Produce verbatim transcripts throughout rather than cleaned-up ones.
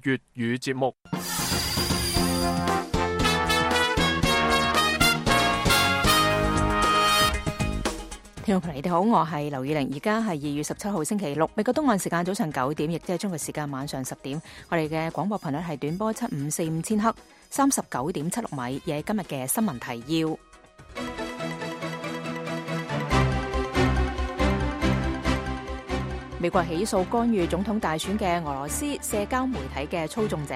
粵語節目。聽眾朋友你哋好，我係劉以玲，而家係二月十七號星期六，美國東岸時間早上九點，亦即係中國時間晚上十點。我哋嘅廣播頻率係短波七五四五千赫，三十九點七六米，亦係今日嘅新聞提要。美國起訴干預總統大選嘅俄羅斯社交媒體嘅操縱者。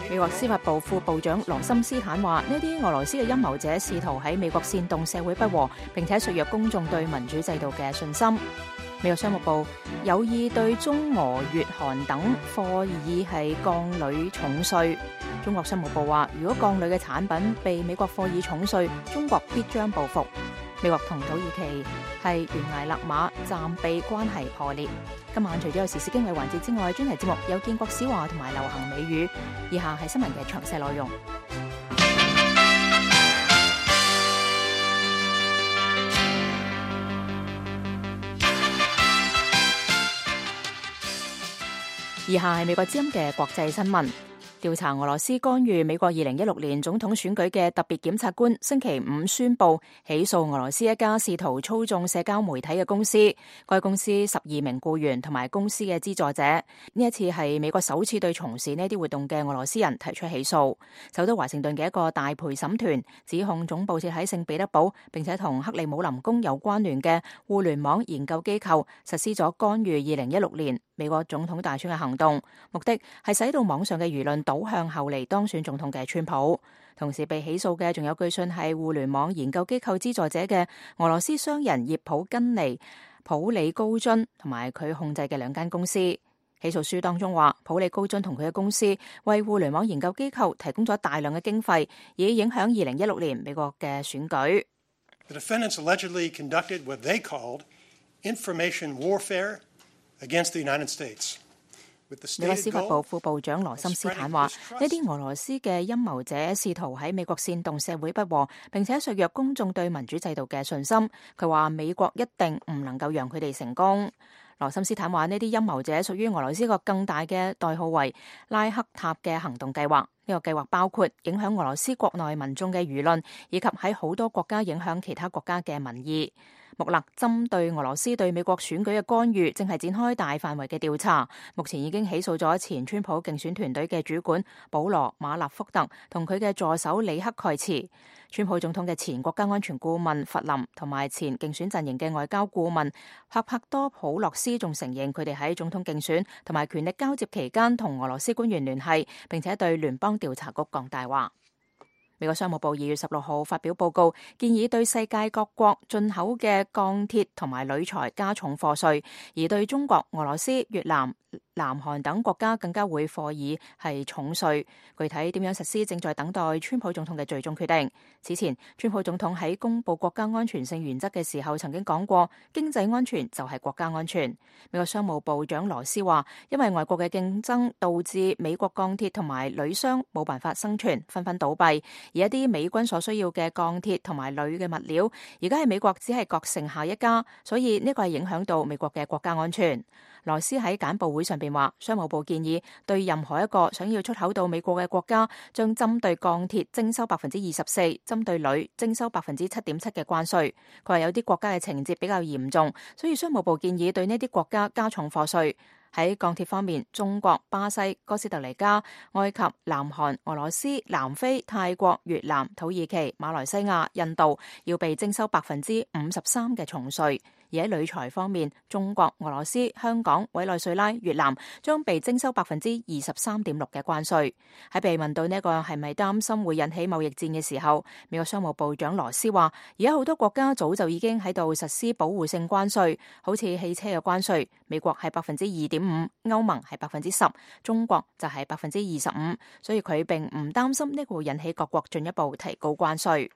美國司法部副部長羅森斯坦話：呢啲俄羅斯嘅陰謀者試圖喺美國煽動社會不和，並且削弱公眾對民主制度嘅信心。美國商務部有意對中俄越韓等貨議係降鋁重稅。中國商務部話：如果降鋁嘅產品被美國課以重稅，中國必將報復。美國同土耳其係懸崖勒馬，暫避關係破裂。今晚除咗有時事經緯環節之外，專題節目有建國史話同埋流行美語。以下係新聞嘅詳細內容。以下係美國之音嘅國際新聞。調查俄羅斯干預美國二零一六年總統選舉嘅特別檢察官星期五宣布起訴俄羅斯一家試圖操縱社交媒體嘅公司，該公司十二名僱員同埋公司嘅資助者。呢一次係美國首次對從事呢啲活動嘅俄羅斯人提出起訴。首都華盛頓嘅一個大陪審團指控總部設喺聖彼得堡並且同克里姆林宮有關聯嘅互聯網研究機構實施咗干預二零一六年美國總統大選嘅行動，目的係使到網上嘅輿論倒向後嚟當選總統嘅川普。同時被起訴嘅仲有據信係互聯網研究機構資助者嘅俄羅斯商人葉普根尼、普里高津同埋佢控制嘅兩間公司。起訴書當中話，普里高津同佢嘅公司為互聯網研究機構提供咗大量嘅經費，以影響二零一六年美國嘅選舉。The defendants allegedly conducted what they called information warfare against the United States. 美國司法部副部長羅森斯坦話：呢啲俄羅斯嘅陰謀者試圖喺美國煽動社會不和，並且削弱公眾對民主制度嘅信心。佢話美國一定唔能夠讓佢哋成功。羅森斯坦話：呢啲陰謀者屬於俄羅斯一個更大嘅代號為拉克塔嘅行動計劃。呢個計劃包括影響俄羅斯國內民眾嘅輿論，以及喺好多國家影響其他國家嘅民意。穆勒針對俄羅斯對美國選舉嘅干預，正係展開大範圍嘅調查。目前已經起訴咗前川普競選團隊嘅主管保羅馬納福特同佢嘅助手里克蓋茨。川普總統嘅前國家安全顧問弗林同埋前競選陣營嘅外交顧問帕帕多普洛斯仲承認佢哋喺總統競選同埋權力交接期間同俄羅斯官員聯繫，並且對聯邦調查局講大話。美國商務部二月十六號發表報告，建議對世界各國進口嘅鋼鐵同埋鋁材加重課稅，而對中國、俄羅斯、越南、南韓等國家更加會課以係重稅。具體點樣實施，正在等待川普總統嘅最終決定。此前，川普總統喺公布國家安全性原則嘅時候，曾經講過經濟安全就係國家安全。美國商務部長羅斯話，因為外國嘅競爭導致美國鋼鐵同埋鋁商冇辦法生存，紛紛倒閉。而一啲美軍所需要嘅鋼鐵同埋鋁嘅物料，而家喺美國只係各剩下一家，所以呢個係影響到美國嘅國家安全。羅斯喺簡報會上邊話，商務部建議對任何一個想要出口到美國嘅國家，將針對鋼鐵徵收百分之二十四，針對鋁徵收百分之七點七嘅關稅。佢話有啲國家嘅情節比較嚴重，所以商務部建議對呢啲國家加重課稅。喺鋼鐵方面，中國、巴西、哥斯達黎加、埃及、南韓、俄羅斯、南非、泰國、越南、土耳其、馬來西亞、印度要被徵收百分之五十三嘅重稅。而喺鋁材方面，中國、俄羅斯、香港、委內瑞拉、越南將被徵收百分之二十三點六嘅關稅。喺被問到呢個係咪擔心會引起貿易戰嘅時候，美國商務部長羅斯話：而家好多國家早就已經喺度實施保護性關稅，好似汽車嘅關稅，美國係百分之二點五，歐盟係百分之十，中國就係百分之二十五，所以佢並唔擔心呢個會引起各國進一步提高關稅。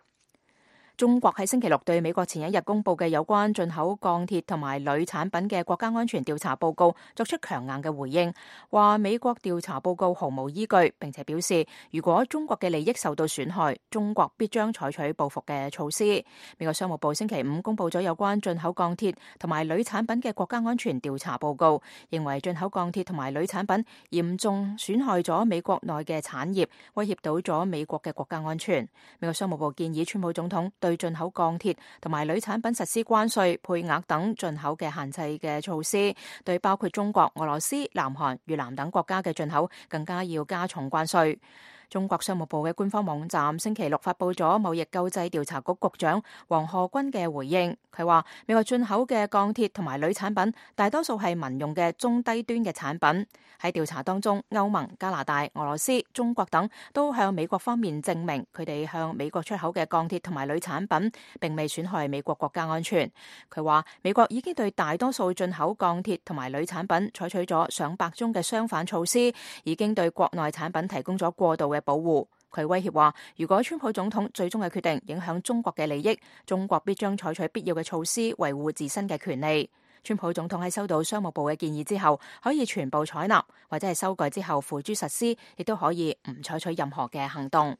中國喺星期六對美國前一日公布嘅有關進口鋼鐵同埋鋁產品嘅國家安全調查報告作出強硬嘅回應，話美國調查報告毫無依據，並且表示如果中國嘅利益受到損害，中國必將採取報復嘅措施。美國商務部星期五公布咗有關進口鋼鐵同埋鋁產品嘅國家安全調查報告，認為進口鋼鐵同埋鋁產品嚴重損害咗美國內嘅產業，威脅到咗美國嘅國家安全。美國商務部建議川普總統對進口鋼鐵同埋鋁產品實施關稅、配額等進口嘅限制嘅措施，對包括中國、俄羅斯、南韓、越南等國家嘅進口更加要加重關稅。中國商務部嘅官方網站星期六發佈咗貿易救濟調查局局長黃賀軍嘅回應，佢話美國進口嘅鋼鐵同埋鋁產品大多數係民用嘅中低端嘅產品。喺調查當中，歐盟、加拿大、俄羅斯、中國等都向美國方面證明佢哋向美國出口嘅鋼鐵同埋鋁產品並未損害美國國家安全。佢話美國已經對大多數進口鋼鐵同埋鋁產品採取咗上百宗嘅相反措施，已經對國內產品提供咗過度嘅保護。佢威脅話，如果川普總統最終嘅決定影響中國嘅利益，中國必將採取必要嘅措施維護自身嘅權利。川普總統喺收到商務部嘅建議之後，可以全部採納，或者係修改之後付諸實施，亦都可以唔採取任何嘅行動。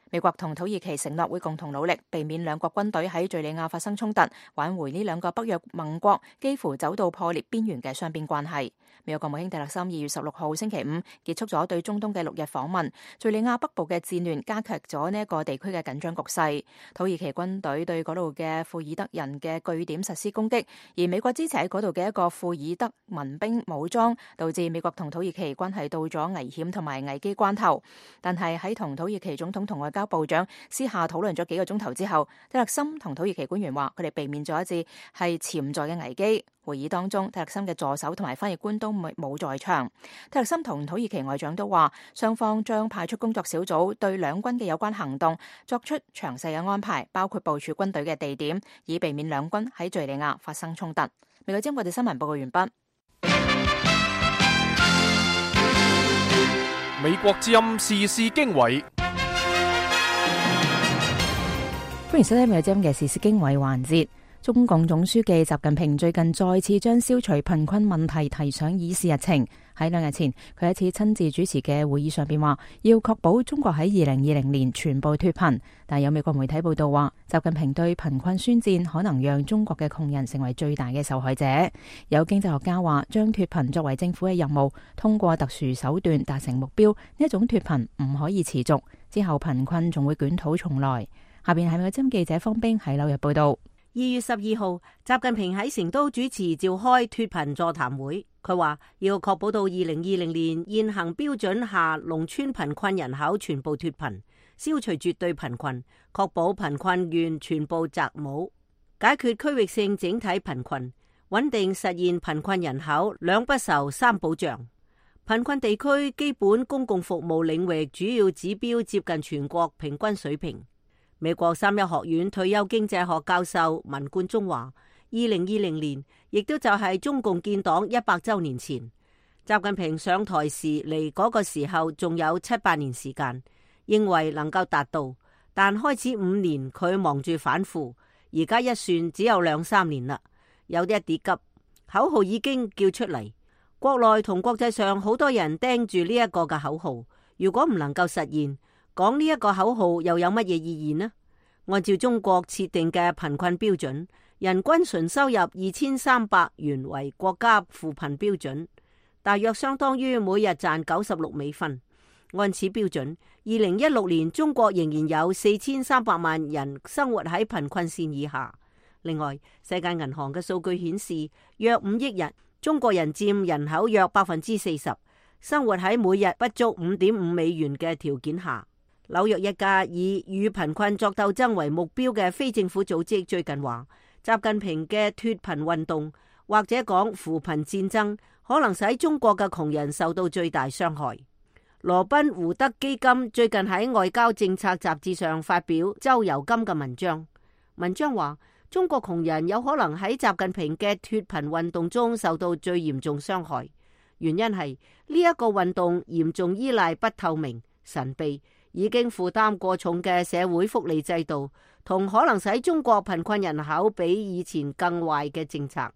美國同土耳其承諾會共同努力，避免兩國軍隊喺敘利亞發生衝突，挽回呢兩個北約盟國幾乎走到破裂邊緣嘅雙邊關係。美國國務卿蒂勒森二月十六號星期五結束咗對中東嘅六日訪問，敘利亞北部嘅戰亂加劇咗呢一個地區嘅緊張局勢。土耳其軍隊對嗰度嘅庫爾德人嘅據點實施攻擊，而美國支持喺嗰度嘅一個庫爾德民兵武裝，導致美國同土耳其關係到咗危險同埋危機關頭。但係喺同土耳其總統同外交部長私下討論咗幾個鐘頭之後，蒂勒森同土耳其官員話佢哋避免咗一次係潛在嘅危機。會議當中，蒂勒森嘅助手同埋翻譯官都冇在場。蒂勒森同土耳其外長都話，雙方將派出工作小組對兩軍嘅有關行動作出詳細嘅安排，包括部署軍隊嘅地點，以避免兩軍喺敘利亞發生衝突。美國之音我哋新聞報告完畢。美國之音時事經緯，歡迎收聽美國之音嘅時事經緯環節。中共總書記習近平最近再次將消除貧困問題提上議事日程。喺兩日前，佢一次親自主持嘅會議上邊話，要確保中國喺二零二零年全部脫貧。但有美國媒體報道話，習近平對貧困宣戰可能讓中國嘅窮人成為最大嘅受害者。有經濟學家話，將脫貧作為政府嘅任務，通過特殊手段達成目標，呢一種脫貧唔可以持續，之後貧困仲會捲土重來。下邊係美國之音記者方冰喺紐約報道。二月十二號，習近平喺成都主持召開脫貧座談會。佢話要確保到二零二零年現行標準下農村貧困人口全部脫貧，消除絕對貧困，確保貧困縣全部摘帽，解決區域性整體貧困，穩定實現貧困人口兩不愁三保障。貧困地區基本公共服務領域主要指標接近全國平均水平。美國三一學院退休經濟學教授文冠中話，二零二零年亦都就係中共建黨一百周年前，習近平上台時離嗰個時候仲有七八年時間，認為能夠達到，但開始五年佢忙住反腐，而家一算只有兩三年啦，有啲一啲急，口號已經叫出嚟，國內同國際上好多人盯住呢一個嘅口號，如果唔能夠實現，講呢一個口號又有乜嘢意義呢？按照中國設定嘅貧困標準，人均純收入二千三百元為國家扶貧標準，大約相當於每日賺九十六美分。按此標準，二零一六年中國仍然有四千三百萬人生活喺貧困線以下。另外，世界銀行嘅數據顯示，約五億人，中國人佔人口約百分之四十，生活喺每日不足五點五美元嘅條件下。紐約一家以與貧困作鬥爭為目標嘅非政府組織最近話，習近平嘅脫貧運動或者講扶貧戰爭，可能使中國嘅窮人受到最大傷害。羅賓胡德基金最近喺外交政策雜誌上發表周游金嘅文章，文章話中國窮人有可能喺習近平嘅脫貧運動中受到最嚴重傷害，原因係呢一個運動嚴重依賴不透明、神秘，已經負擔過重嘅社會福利制度，同可能使中國貧困人口比以前更壞嘅政策。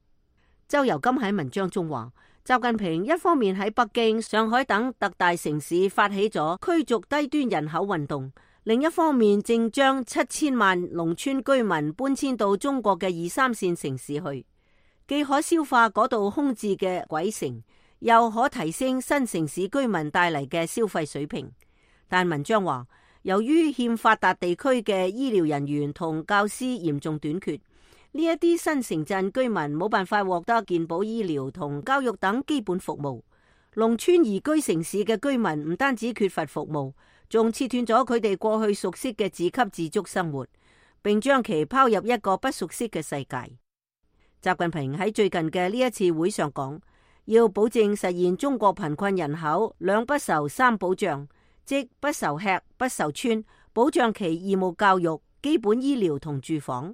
周游金喺文章中話，習近平一方面喺北京、上海等特大城市發起咗驅逐低端人口運動，另一方面正將七千萬農村居民搬遷到中國嘅二三線城市去，既可消化嗰度空置嘅鬼城，又可提升新城市居民帶嚟嘅消費水平。但文章話，由於欠發達地區嘅醫療人員同教師嚴重短缺，呢一啲新城鎮居民冇辦法獲得健保醫療同教育等基本服務。農村移居城市嘅居民唔單止缺乏服務，仲切斷咗佢哋過去熟悉嘅自給自足生活，並將其拋入一個不熟悉嘅世界。習近平喺最近嘅呢一次會上講，要保證實現中國貧困人口兩不愁三保障，即不愁吃不愁穿，保障其義務教育、基本醫療同住房。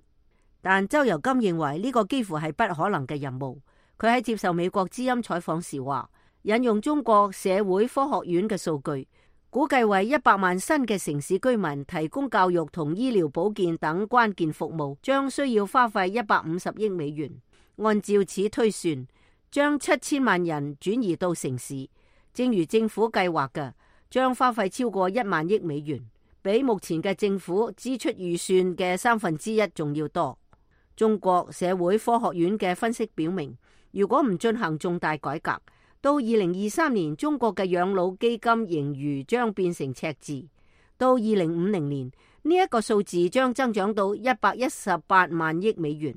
但周游金認為呢個幾乎係不可能嘅任務。佢喺接受美國之音採訪時話，引用中國社會科學院嘅數據，估計為一百萬新嘅城市居民提供教育同醫療保健等關鍵服務，將需要花費一百五十億美元。按照此推算，將七千萬人轉移到城市，正如政府計劃嘅，將花費超過一萬億美元，比目前嘅政府支出預算嘅三分之一仲要多。中國社會科學院嘅分析表明，如果唔進行重大改革，到二零二三年中國嘅養老基金盈餘將變成赤字，到二零五零年呢一個數字將增長到一百一十八萬億美元。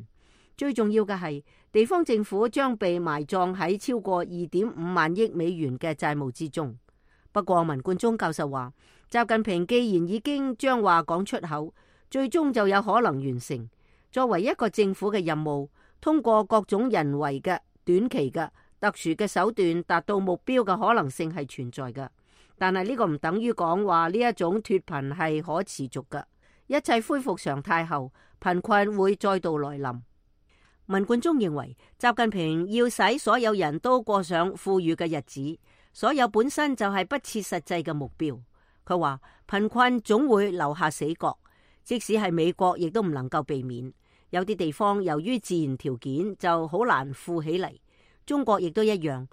最重要嘅係，地方政府將被埋葬喺超過二點五萬億美元嘅債務之中。不過文冠中教授話，習近平既然已經將話講出口，最終就有可能完成。作為一個政府嘅任務，通過各種人為嘅、短期嘅、特殊嘅手段達到目標嘅可能性係存在嘅。但係呢個唔等於講話呢一種脫貧係可持續嘅。一切恢復常態後，貧困會再度來臨。文冠中認為，習近平要使所有人都過上富裕嘅日子，所有本身就係不切實際嘅目標。佢話貧困總會留下死角，即使係美國亦都唔能夠避免。有啲地方由於自然條件就好難富起嚟，中國亦都一樣，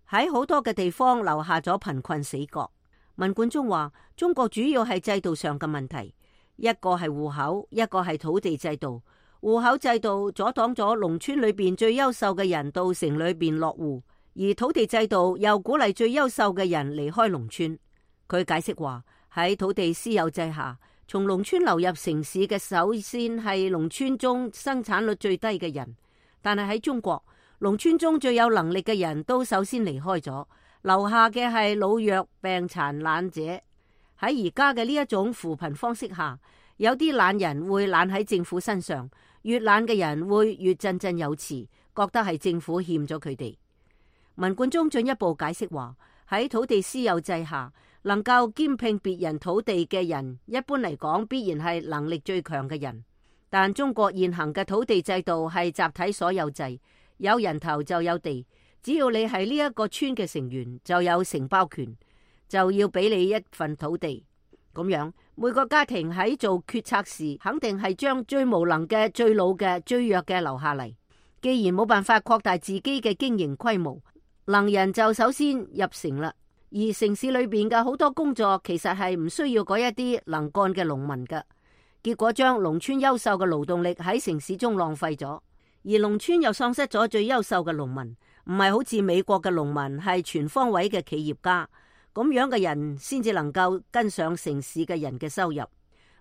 喺好多嘅地方留下咗貧困死角。文冠中話，中國主要係制度上嘅問題，一個係戶口，一個係土地制度。戶口制度阻擋咗農村裏邊最優秀嘅人到城裏邊落戶，而土地制度又鼓勵最優秀嘅人離開農村。佢解釋話，喺土地私有制下，從農村流入城市嘅首先係農村中生產率最低嘅人，但係喺中國，農村中最有能力嘅人都首先離開咗，留下嘅係老弱病殘懶者。喺而家嘅呢一種扶貧方式下，有啲懶人會懶喺政府身上，越懶嘅人會越振振有詞，覺得係政府欠咗佢哋。文冠中進一步解釋話，喺土地私有制下，能夠兼併別人土地嘅人，一般嚟講必然係能力最強嘅人。但中國現行嘅土地制度係集體所有制，有人頭就有地，只要你係呢一個村嘅成員，就有承包權，就要俾你一份土地。咁樣每個家庭喺做決策時，肯定係將最無能嘅、最老嘅、最弱嘅留下嚟。既然冇辦法擴大自己嘅經營規模，能人就首先入城啦。而城市裏邊嘅好多工作其實係唔需要嗰一啲能幹嘅農民嘅，結果將農村優秀嘅勞動力喺城市中浪費咗，而農村又喪失咗最優秀嘅農民。唔係好似美國嘅農民係全方位嘅企業家，咁樣嘅人先至能夠跟上城市嘅人嘅收入。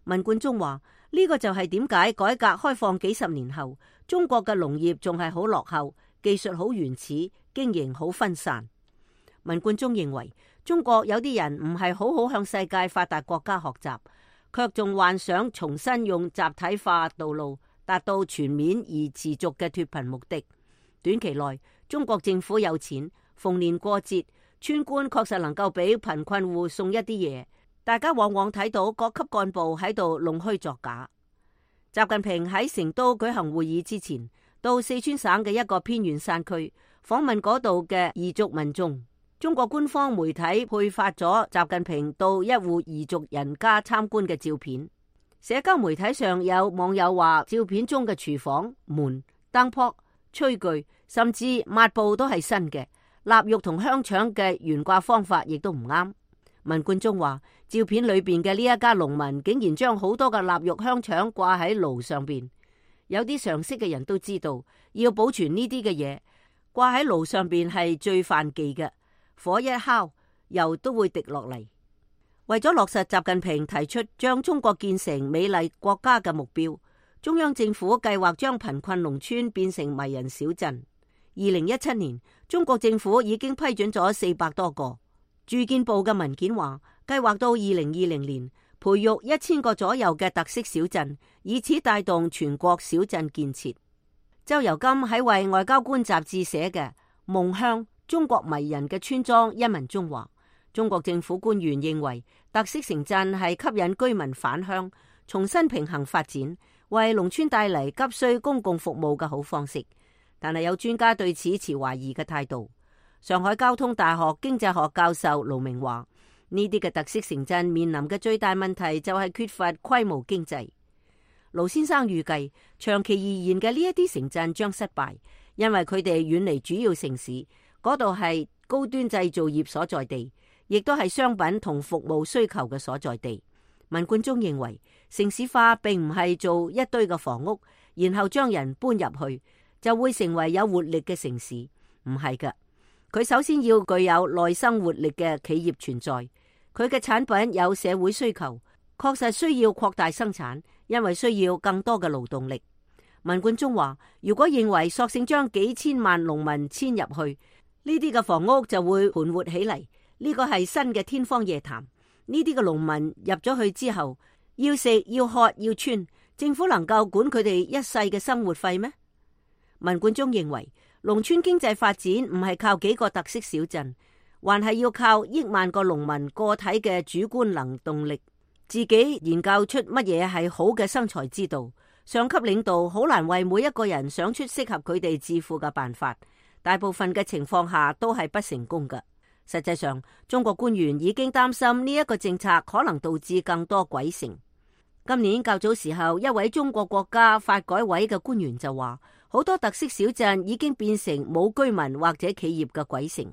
文冠中話，呢個就係點解改革開放幾十年後，中國嘅農業仲係好落後，技術好原始，經營好分散。文冠中認為，中國有啲人唔係好好向世界發達國家學習，卻仲幻想重新用集體化道路達到全面而持續嘅脫貧目的。短期內，中國政府有錢，逢年過節，村官確實能夠俾貧困戶送一啲嘢。大家往往睇到各級幹部喺度弄虛作假。習近平喺成都舉行會議之前，到四川省嘅一個偏遠山區訪問嗰度嘅彝族民眾。中國官方媒體配發咗習近平到一戶彝族人家參觀嘅照片。社交媒體上有網友話，照片中嘅廚房、門、燈泡、炊具甚至抹布都係新嘅，臘肉同香腸嘅懸掛方法亦都唔啱。文冠中話，照片裏邊嘅呢一家農民竟然將好多嘅臘肉香腸掛喺爐上邊。有啲常識嘅人都知道，要保存呢啲嘅嘢，掛喺爐上邊係最犯忌嘅，火一烤，油都會滴落嚟。為咗落實習近平提出將中國建成美麗國家嘅目標，中央政府計劃將貧困農村變成迷人小鎮。二零一七年，中國政府已經批准咗四百多個。住建部嘅文件話，計劃到二零二零年培育一千個左右嘅特色小鎮，以此帶動全國小鎮建設。周游金喺為外交官雜誌寫嘅《夢鄉：中國迷人嘅村莊》一文中話，中國政府官員認為特色城鎮係吸引居民返鄉、重新平衡發展、為農村帶嚟急需公共服務嘅好方式。但係有專家對此持懷疑嘅態度。上海交通大學經濟學教授盧明話，呢啲嘅特色城鎮面臨嘅最大問題就係缺乏規模經濟。盧先生預計，長期而言嘅呢一啲城鎮將失敗，因為佢哋遠離主要城市，嗰度係高端製造業所在地，亦都係商品同服務需求嘅所在地。文冠中認為，城市化並唔係做一堆嘅房屋，然後將人搬入去，就會成為有活力嘅城市。唔係㗎。佢首先要具有內生活力嘅企業存在，佢嘅產品有社會需求，確實需要擴大生產，因為需要更多嘅勞動力。文冠中話，如果認為索性將幾千萬農民遷入去，呢啲嘅房屋就會盤活起嚟，呢個係新嘅天方夜譚。呢啲嘅農民入咗去之後，要食要喝要穿，政府能夠管佢哋一世嘅生活費咩？文冠中認為，農村經濟發展唔係靠幾個特色小鎮，還係要靠億萬個農民個體嘅主觀能動力，自己研究出乜嘢係好嘅生財之道。上級領導好難為每一個人想出適合佢哋致富嘅辦法，大部分嘅情況下都係不成功嘅。實際上，中國官員已經擔心呢一個政策可能導致更多鬼城。今年較早時候，一位中國國家發改委嘅官員就話，好多特色小鎮已經變成冇居民或者企業嘅鬼城。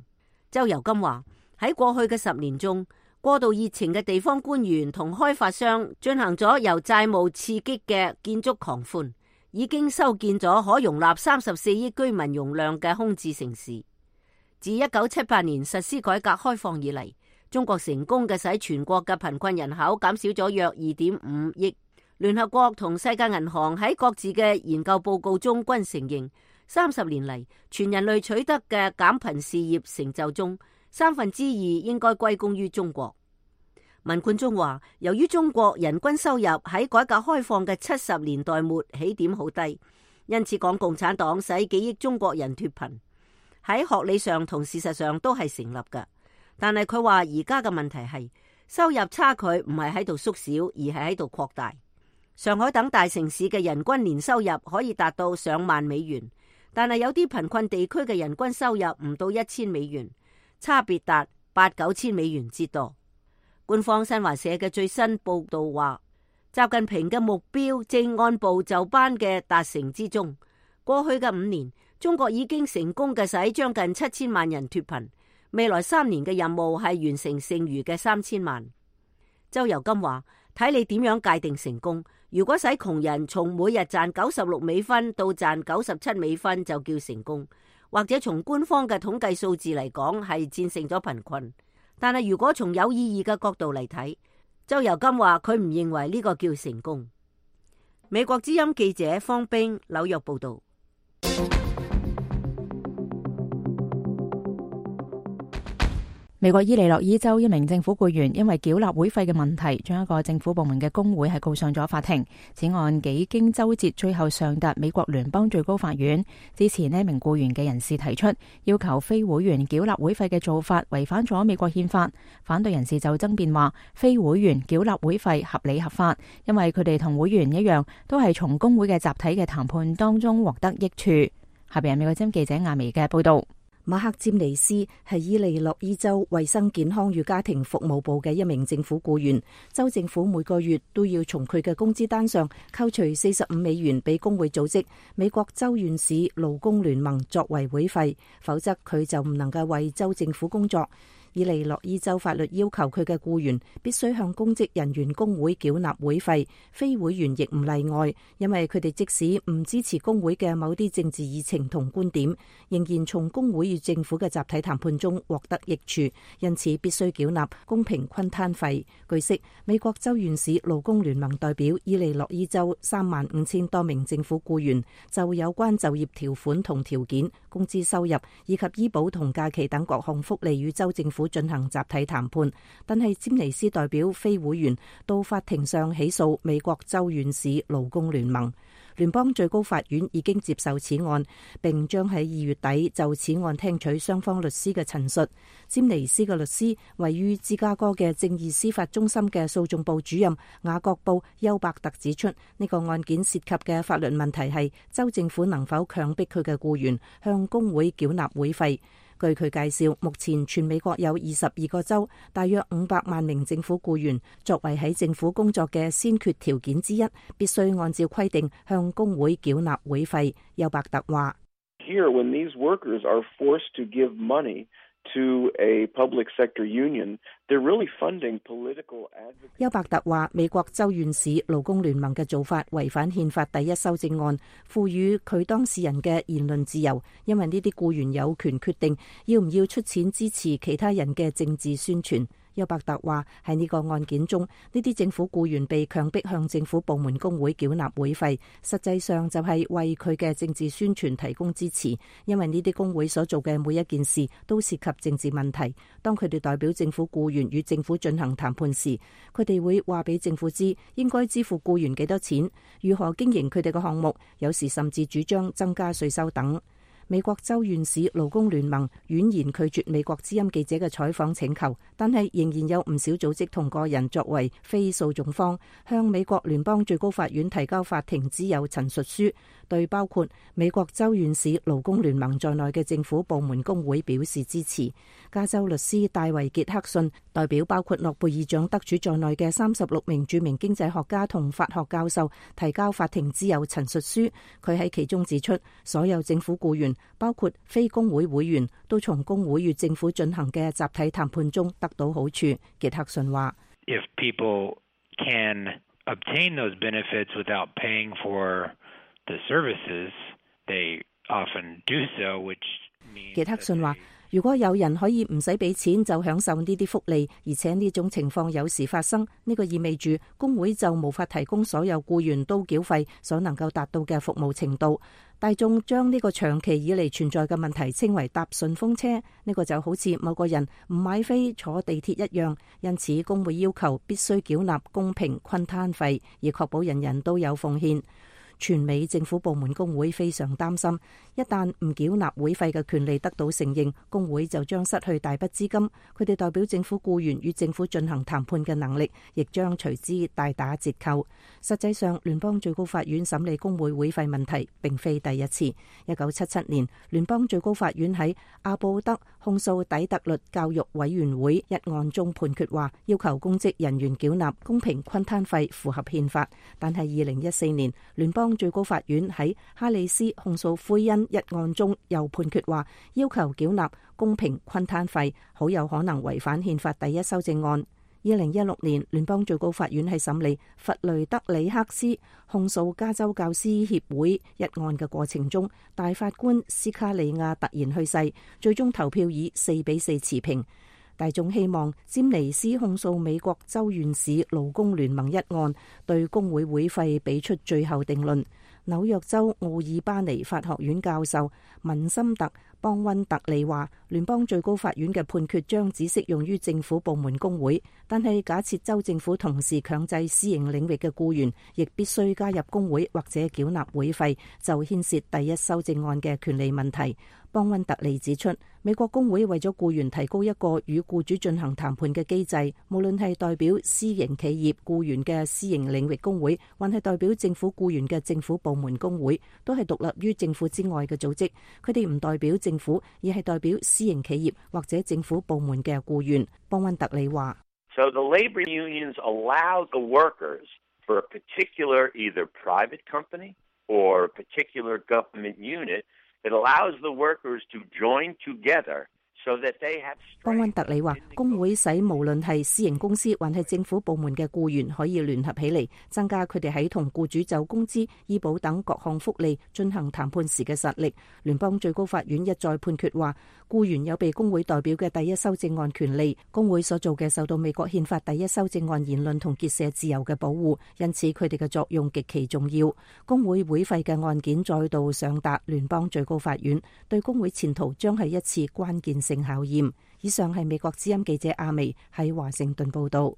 周游金話，喺過去嘅十年中，過度熱情嘅地方官員同開發商進行咗由債務刺激嘅建築狂歡，已經修建咗可容納三十四億居民容量嘅空置城市。自一九七八年實施改革開放以嚟，中國成功嘅使全國嘅貧困人口減少咗約二點五億。聯合國同世界銀行喺各自嘅研究報告中均承認，三十年嚟全人類取得嘅減貧事業成就中，三分之二應該歸功於中國。文冠中話，由於中國人均收入喺改革開放嘅七十年代末起點好低，因此講共產黨使幾億中國人脫貧，喺學理上同事實上都係成立嘅。但係佢話而家嘅問題係收入差距唔係喺度縮小，而係喺度擴大。上海等大城市嘅人均年收入可以達到上萬美元，但係有啲貧困地區嘅人均收入唔到一千美元，差別達八九千美元之多。官方新華社嘅最新報道話，習近平嘅目標正按部就班嘅達成之中。過去嘅五年，中國已經成功嘅使將近七千萬人脫貧，未來三年嘅任務係完成剩餘嘅三千萬。周游金話，睇你點樣界定成功。如果使窮人從每日賺九十六美分到賺九十七美分就叫成功，或者從官方嘅統計數字嚟講係戰勝咗貧困。但係如果從有意義嘅角度嚟睇，周游金話佢唔認為呢個叫成功。美國之音記者方冰紐約報道。美國伊利諾伊州一名政府僱員因為繳納會費嘅問題，將一個政府部門嘅工會係告上咗法庭。此案幾經周折，最後上達美國聯邦最高法院。支持呢名僱員嘅人士提出，要求非會員繳納會費嘅做法違反咗美國憲法。反對人士就爭辯話，非會員繳納會費合理合法，因為佢哋同會員一樣，都係從工會嘅集體嘅談判當中獲得益處。下邊係美國之音記者亞薇嘅報道。馬克詹尼斯係伊利諾伊州衛生健康與家庭服務部嘅一名政府僱員，州政府每個月都要從佢嘅工資單上扣除四十五美元俾工會組織美國州縣市勞工聯盟作為會費，否則佢就唔能夠為州政府工作。伊利諾伊州法律要求佢嘅僱員必須向公職人員工會繳納會費，非會員亦唔例外，因為佢哋即使唔支持工會嘅某啲政治議程同觀點，仍然從工會與政府嘅集體談判中獲得益處，因此必須繳納公平均攤費。據悉，美國州縣市勞工聯盟代表伊利諾伊州三萬五千多名政府僱員就有關就業條款同條件、工資收入以及醫保同假期等各項福利與州政府進行集體談判，但係詹尼斯代表非會員到法庭上起訴美國州縣市勞工聯盟。聯邦最高法院已經接受此案，並將喺二月底就此案聽取雙方律師嘅陳述。詹尼斯嘅律師位於芝加哥嘅正義司法中心嘅訴訟部主任雅各布休伯特指出，呢個案件涉及嘅法律問題係州政府能否強迫佢嘅僱員向工會繳納會費。據佢介紹，目前全美國有二十二個州，大約五百萬名政府僱員，作為喺政府工作嘅先決條件之一，必須按照規定向工會繳納會費。休伯特話：Here, when these workers are forced to give money to a public sector union, they're really funding political advocacy. 休伯特話：美國州縣市勞工聯盟嘅做法違反憲法第一修正案，賦予佢當事人嘅言論自由，因為呢啲僱員有權決定要唔要出錢支持其他人嘅政治宣傳。休伯特話：喺呢個案件中，呢啲政府僱員被強迫向政府部門工會繳納會費，實際上就係為佢嘅政治宣傳提供支持，因為呢啲工會所做嘅每一件事都涉及政治問題。當佢哋代表政府僱員與政府進行談判時，佢哋會話俾政府知應該支付僱員幾多錢，如何經營佢哋嘅項目，有時甚至主張增加稅收等。美國州縣市勞工聯盟婉言拒絕美國之音記者嘅採訪請求，但係仍然有唔少組織同個人作為非訴訟方，向美國聯邦最高法院提交法庭之友陳述書，對包括美國州縣市勞工聯盟在內嘅政府部門工會表示支持。加州律師戴維傑克遜代表包括諾貝爾獎得主在內嘅三十六名著名經濟學家同法學教授提交法庭之友陳述書，佢喺其中指出，所有政府僱員包括非工會會員都從工會與政府進行嘅集體談判中得到好處。傑克遜話 ：If people can obtain those benefits without paying for the services, they often do so, which means 傑克遜話：如果有人可以唔使俾錢就享受呢啲福利，而且呢種情況有時發生，呢個意味住工會就無法提供所有僱員都繳費所能夠達到嘅服務程度。大眾將呢個長期以嚟存在嘅問題稱為搭順風車，呢個就好似某個人唔買飛坐地鐵一樣。因此工會要求必須繳納公平均攤費，以確保人人都有奉獻。全美政府部門工會非常擔心，一旦唔繳納會費嘅權利得到承認，工會就將失去大筆資金，佢哋代表政府僱員與政府進行談判嘅能力亦將隨之大打折扣。實際上，聯邦最高法院審理工會會費問題並非第一次。一九七七年，聯邦最高法院喺阿布德控訴底特律教育委員會一案中判決話，要求公職人員繳納公平均攤費符合憲法。但係二零一四年，聯邦最高法院喺哈里斯控訴奎恩一案中又判決話，要求繳納公平均攤費好有可能違反憲法第一修正案。二零一六年，聯邦最高法院喺審理弗雷德里克斯控訴加州教師協會一案嘅過程中，大法官斯卡利亞突然去世，最終投票以四比四持平。大眾希望詹尼斯控訴美國州縣市勞工聯盟一案對工會會費俾出最後定論。紐約州奧爾巴尼法學院教授文森特邦溫特利話，聯邦最高法院嘅判決將只適用於政府部門工會，但係假設州政府同時強制私營領域嘅僱員亦必須加入工會或者繳納會費，就牽涉第一修正案嘅權利問題。邦溫特利指出，美國工會為咗僱員提供一個與僱主進行談判嘅機制，無論係代表私營企業僱員嘅私營領域工會，還係代表政府僱員嘅政府部門工會，都係獨立於政府之外嘅組織。佢哋唔代表政府，而係代表私營企業或者政府部門嘅僱員。邦溫特利話：So the labor unions allow the workers for a particular either private company or a particular government unit.It allows the workers to join together so that they have. 邦溫特利話，工會使無論係私營公司還係政府部門嘅僱員可以聯合起嚟，增加佢哋喺同僱主就工資、醫保等各項福利進行談判時嘅實力。聯邦最高法院一再判決話，僱員有被工會代表嘅第一修正案權利，工會所做嘅受到美國憲法第一修正案言論同結社自由嘅保護，因此佢哋嘅作用極其重要。工會會費嘅案件再度上達聯邦最高法院，對工會前途將係一次關鍵性考驗。以上係美國之音記者阿薇喺華盛頓報道。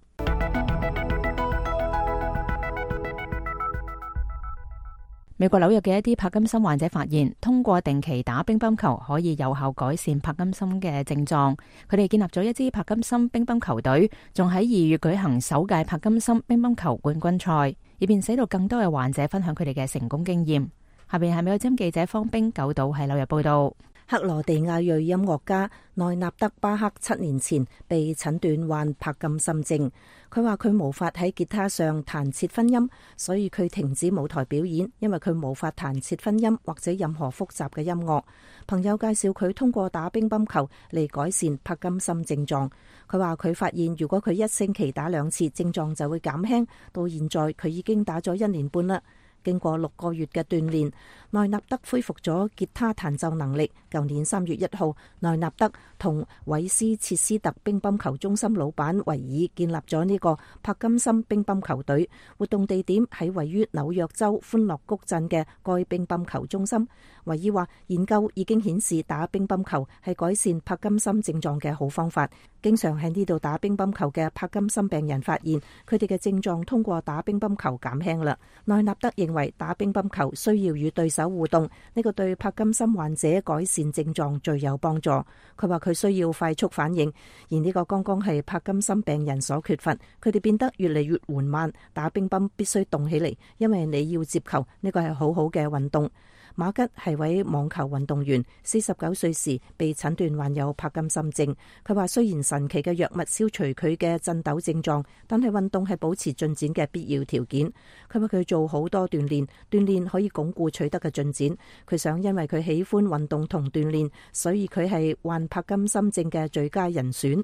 美國紐約嘅一啲帕金森患者發現，通過定期打乒乓球可以有效改善帕金森嘅症狀。佢哋建立咗一支帕金森乒乓球隊，仲喺二月舉行首屆帕金森乒乓球冠軍賽，以便使到更多嘅患者分享佢哋嘅成功經驗。下邊係美國之音記者方冰九島喺紐約報道。克羅地亞裔音樂家內納德巴克七年前被診斷患帕金森症，佢話佢無法喺吉他上彈切分音，所以佢停止舞台表演，因為佢無法彈切分音或者任何複雜嘅音樂。朋友介紹佢通過打乒乓球嚟改善帕金森症狀。佢話佢發現如果佢一星期打兩次，症狀就會減輕。到現在佢已經打咗一年半啦。經過六個月嘅鍛煉，內納德恢復咗吉他彈奏能力。舊年三月一號，內納德同韋斯切斯特乒乓球中心老闆維爾建立咗呢個帕金森乒乓球隊，活動地點喺位於紐約州歡樂谷鎮嘅該乒乓球中心。維爾話，研究已經顯示打乒乓球係改善帕金森症狀嘅好方法。經常喺呢度打乒乓球嘅帕金森病人發現，佢哋嘅症狀通過打乒乓球減輕啦。內納德認為打乒乓球需要與對手互動，呢個對帕金森患者改善症狀最有幫助。佢話佢需要快速反應，而呢個剛剛係帕金森病人所缺乏，佢哋變得越嚟越緩慢。打乒乓必須動起嚟，因為你要接球，呢個係好好嘅運動。馬吉係位網球運動員，四十九歲時被診斷患有帕金森症。佢話雖然神奇嘅藥物消除佢嘅震抖症狀，但係運動係保持進展嘅必要條件。佢話佢做好多鍛煉，鍛煉可以鞏固取得嘅進展。佢想因為佢喜歡運動同鍛煉，所以佢係患帕金森症嘅最佳人選。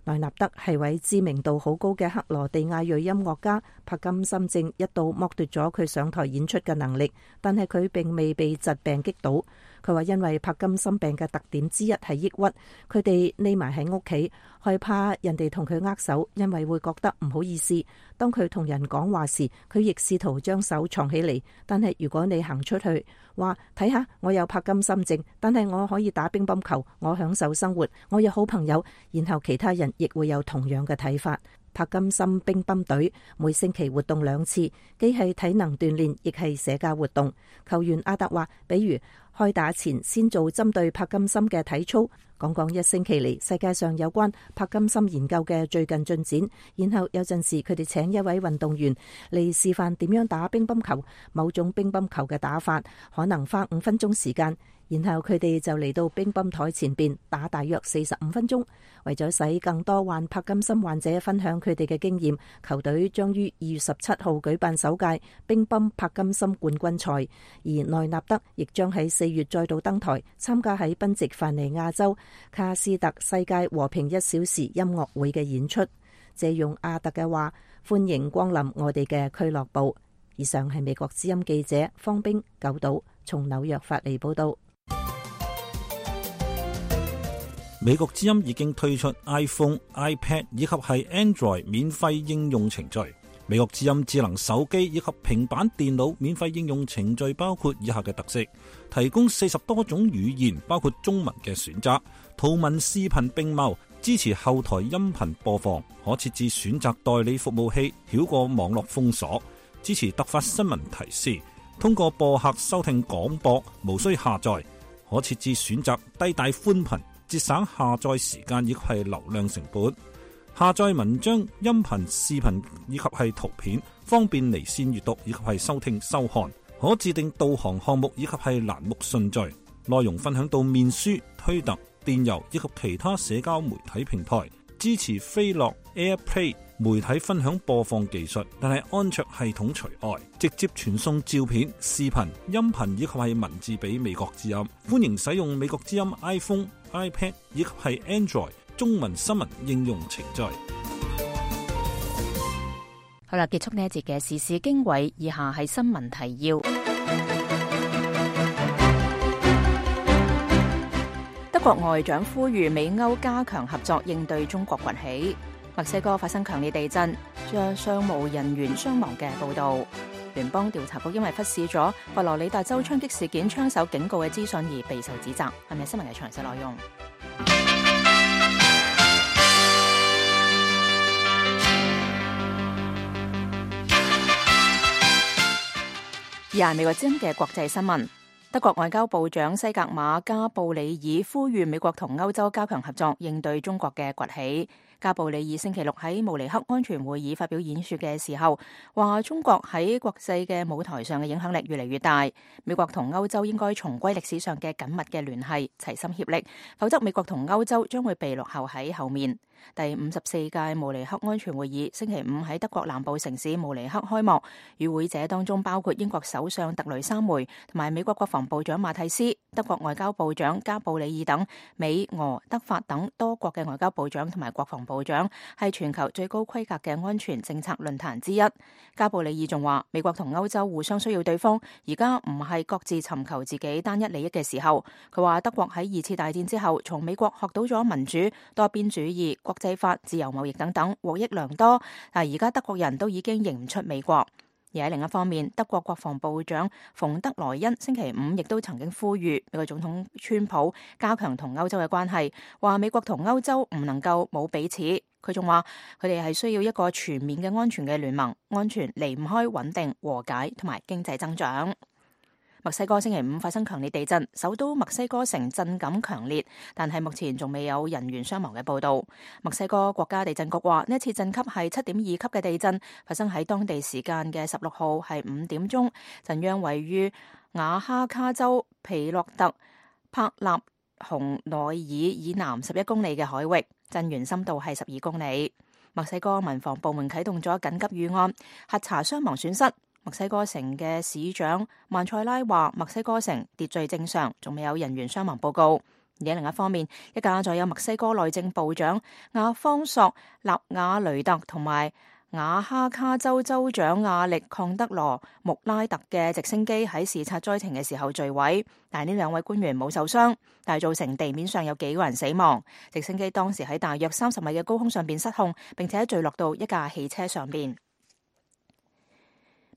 內納德係位知名度好高嘅克羅地亞裔音樂家，帕金森症一度剝奪咗佢上台演出嘅能力，但係佢並未被疾病擊倒。佢話因為帕金森病嘅特點之一係抑鬱，佢哋匿埋喺屋企，害怕人哋同佢握手，因為會覺得唔好意思。當佢同人講話時，佢亦試圖將手藏起嚟。但係如果你行出去，話睇下我有帕金森症，但係我可以打乒乓球，我享受生活，我有好朋友，然後其他人亦會有同樣嘅睇法。帕金森乒乓隊每星期活動兩次，既係體能鍛煉，亦係社交活動。球員阿特話，比如開打前先做針對帕金森嘅體操，講講一星期嚟世界上有關帕金森研究嘅最近進展，然後有陣時佢哋請一位運動員嚟示範點樣打乒乓球，某種乒乓球嘅打法可能花五分鐘時間。然後佢哋就嚟到乒乓台前邊打大約四十五分鐘。為咗使更多患帕金森患者分享佢哋嘅經驗，球隊將於二月十七號舉辦首屆乒乓帕金森冠軍賽，而內納德亦將喺四月再度登台參加喺賓夕凡尼亞州卡斯特世界和平一小時音樂會嘅演出。借用阿特嘅話，歡迎光臨我哋嘅俱樂部。以上係美國之音記者方冰九島從紐約發嚟報道。美國之音已經推出 iPhone、iPad 以及係 Android 免費應用程序。美國之音智能手機以及平板電腦免費應用程序包括以下嘅特色：提供四十多種語言，包括中文嘅選擇，圖文視頻並茂，支持後台音頻播放，可設置選擇代理服務器，繞過網絡封鎖，支持突發新聞提示，通過播客收聽廣播，無需下載。可設置選擇低帶寬頻，節省下載時間以及係流量成本。下載文章、音頻、視頻以及係圖片，方便離線閱讀以及係收聽收看。可自定導航項目以及係欄目順序。內容分享到面書、推特、電郵以及其他社交媒體平台。支持飛樂 AirPlay 媒體分享播放技術，但係安卓系統除外，直接傳送照片、視頻、音頻以及係文字俾美國之音。歡迎使用美國之音 iPhone、iPad 以及係 Android 中文新聞應用程序。好啦，結束呢一節嘅時事經緯，以下係新聞提要。德國外長呼籲美歐加強合作應對中國崛起。墨西哥發生強烈地震，將商務人員傷亡嘅報道。聯邦調查局因為忽視咗佛羅里達州槍擊事件槍手警告嘅資訊而備受指責。係咪新聞嘅詳細內容？以下係美國之音嘅國際新聞。德國外交部長西格馬加布里爾呼籲美國同歐洲加強合作，應對中國嘅崛起。加布里爾星期六喺慕尼黑安全會議發表演說嘅時候，話中國喺國際嘅舞台上嘅影響力越嚟越大，美國同歐洲應該重歸歷史上嘅緊密嘅聯繫，齊心協力，否則美國同歐洲將會被落後喺後面。第五十四屆慕尼黑安全會議星期五喺德國南部城市慕尼黑開幕，與會者當中包括英國首相特雷莎梅同埋美國國防部長馬蒂斯、德國外交部長加布里爾等美、俄、德、法等多國嘅外交部長同埋國防部長，係全球最高規格嘅安全政策論壇之一。加布里爾仲話，美國同歐洲互相需要對方，而家唔係各自尋求自己單一利益嘅時候。佢話德國喺二次大戰之後，從美國學到咗民主、多邊主義、國際法、自由貿易等等，獲益良多。但而家德國人都已經認唔出美國。而喺另一方面，德國國防部長馮德萊恩星期五亦都曾經呼籲美國總統川普加強同歐洲嘅關係，話美國同歐洲唔能夠冇彼此。佢仲話佢哋係需要一個全面嘅安全嘅聯盟，安全離唔開穩定、和解同埋經濟增長。墨西哥星期五發生強烈地震，首都墨西哥城震感強烈，但係目前仲未有人員傷亡嘅報道。墨西哥國家地震局話呢一次震級係七點二級嘅地震，發生喺當地時間嘅十六號係五點鐘，震央位於瓦哈卡州皮洛特帕納洪內爾以南十一公里嘅海域，震源深度係十二公里。墨西哥民防部門啟動咗緊急預案，核查傷亡損失。墨西哥城嘅市長曼塞拉話，墨西哥城秩序正常，仲未有人員傷亡報告。而喺另一方面，一架載有墨西哥內政部長亞方索納瓦雷特同埋瓦哈卡州州長亞力抗德羅穆拉特嘅直升機喺視察災情嘅時候墜毀，但係呢兩位官員冇受傷，但係造成地面上有幾個人死亡。直升機當時喺大約三十米嘅高空上邊失控，並且墜落到一架汽車上邊。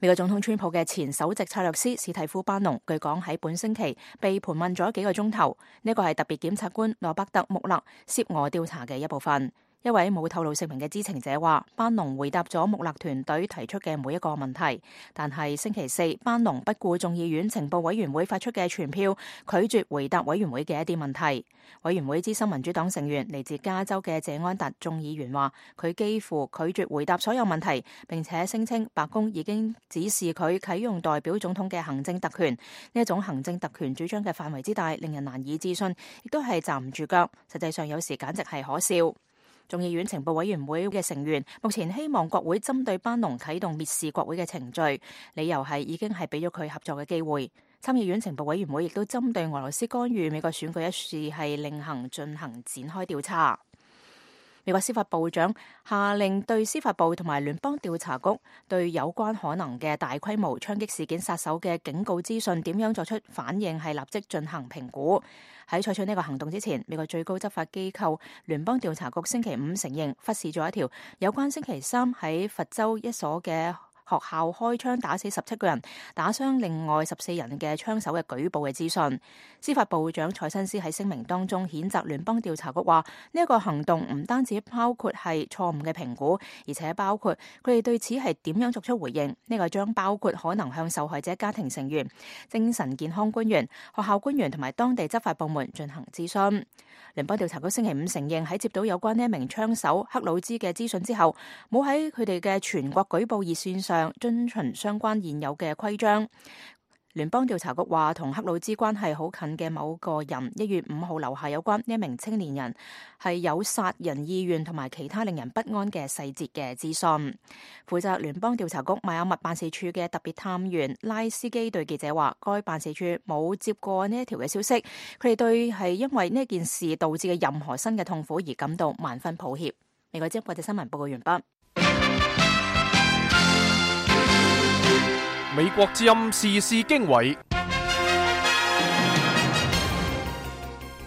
美國總統川普嘅前首席策略師史蒂夫班農，據講喺本星期被盤問咗幾個鐘頭，呢個係特別檢察官羅伯特穆勒涉俄調查嘅一部分。一位冇透露姓名嘅知情者話，班農回答咗穆勒團隊提出嘅每一個問題，但係星期四班農不顧眾議院情報委員會發出嘅傳票，拒絕回答委員會嘅一啲問題。委員會資深民主黨成員嚟自加州嘅謝安達眾議員話，佢幾乎拒絕回答所有問題，並且聲稱白宮已經指示佢啟用代表總統嘅行政特權。呢一種行政特權主張嘅範圍之大，令人難以置信，亦都係站唔住腳。實際上有時簡直係可笑。眾議院情報委員會嘅成員目前希望國會針對班農啟動蔑視國會嘅程序，理由係已經係俾咗佢合作嘅機會。參議院情報委員會亦都針對俄羅斯干預美國選舉一事係另行進行展開調查。美國司法部長下令對司法部同埋聯邦調查局對有關可能嘅大規模槍擊事件殺手嘅警告資訊點樣作出反應，係立即進行評估。喺採取呢個行動之前，美國最高執法機構聯邦調查局星期五承認忽視咗一條有關星期三喺佛州一所嘅學校開槍打死十七個人、打傷另外十四人嘅槍手嘅舉報嘅資訊。司法部長蔡新斯喺聲明當中譴責聯邦調查局話，呢一個行動唔單止包括係錯誤嘅評估，而且包括佢哋對此係點樣作出回應。呢個將包括可能向受害者家庭成員、精神健康官員、學校官員同埋當地執法部門進行諮詢。聯邦調查局星期五承認喺接到有關呢一名槍手克魯茲嘅資訊之後，冇喺佢哋嘅全國舉報熱線上遵循相關現有嘅規章。聯邦調查局話，同克魯茲關係好近嘅某個人一月五號留下有關呢一名青年人係有殺人意願同埋其他令人不安嘅細節嘅資訊。負責聯邦調查局邁阿密辦事處嘅特別探員拉斯基對記者話，該辦事處冇接過呢一條嘅消息，佢哋對係因為呢件事導致嘅任何新嘅痛苦而感到萬分抱歉。美國之音國際新聞報告完畢。美國之音時事經緯，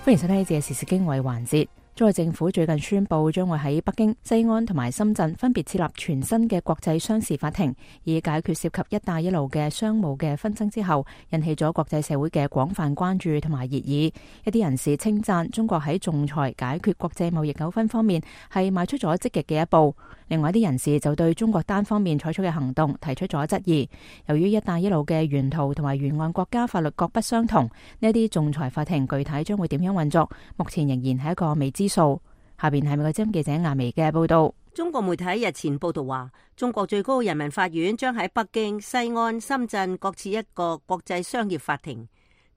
歡迎收聽呢節時事經緯環節。中國政府最近宣布將會喺北京、西安同埋深圳分別設立全新嘅國際商事法庭，以解決涉及一帶一路嘅商務嘅紛爭之後，引起咗國際社會嘅廣泛關注同埋熱議。一啲人士稱讚中國喺仲裁解決國際貿易糾紛方面係邁出咗積極嘅一步。另外一啲人士就對中國單方面採取嘅行動提出咗質疑。由於一帶一路嘅沿途同埋沿岸國家法律各不相同，呢一啲仲裁法庭具體將會點樣運作，目前仍然係一個未知數。下邊係美國之音記者亞薇嘅報道。中國媒體日前報道話，中國最高人民法院將喺北京、西安、深圳各設一個國際商業法庭，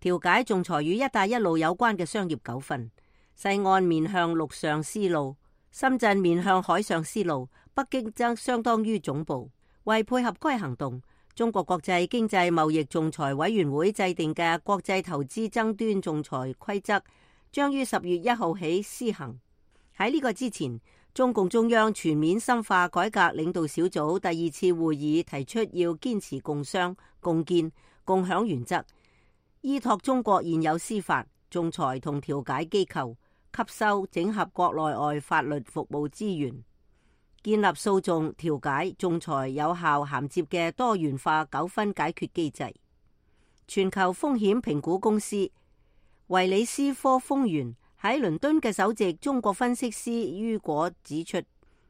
調解仲裁與一帶一路有關嘅商業糾紛。西岸面向陸上絲路，深圳面向海上絲路，北京則相當於總部。為配合該行動，中國國際經濟貿易仲裁委員會制定嘅國際投資爭端仲裁規則將於十月一號起施行。喺呢個之前，中共中央全面深化改革領導小組第二次會議提出要堅持共商、共建、共享原則，依託中國現有司法、仲裁同調解機構，吸收整合國內外法律服務資源，建立訴訟、調解、仲裁有效銜接嘅多元化糾紛解決機制。全球風險評估公司維里斯科豐源喺倫敦嘅首席中國分析師于果指出，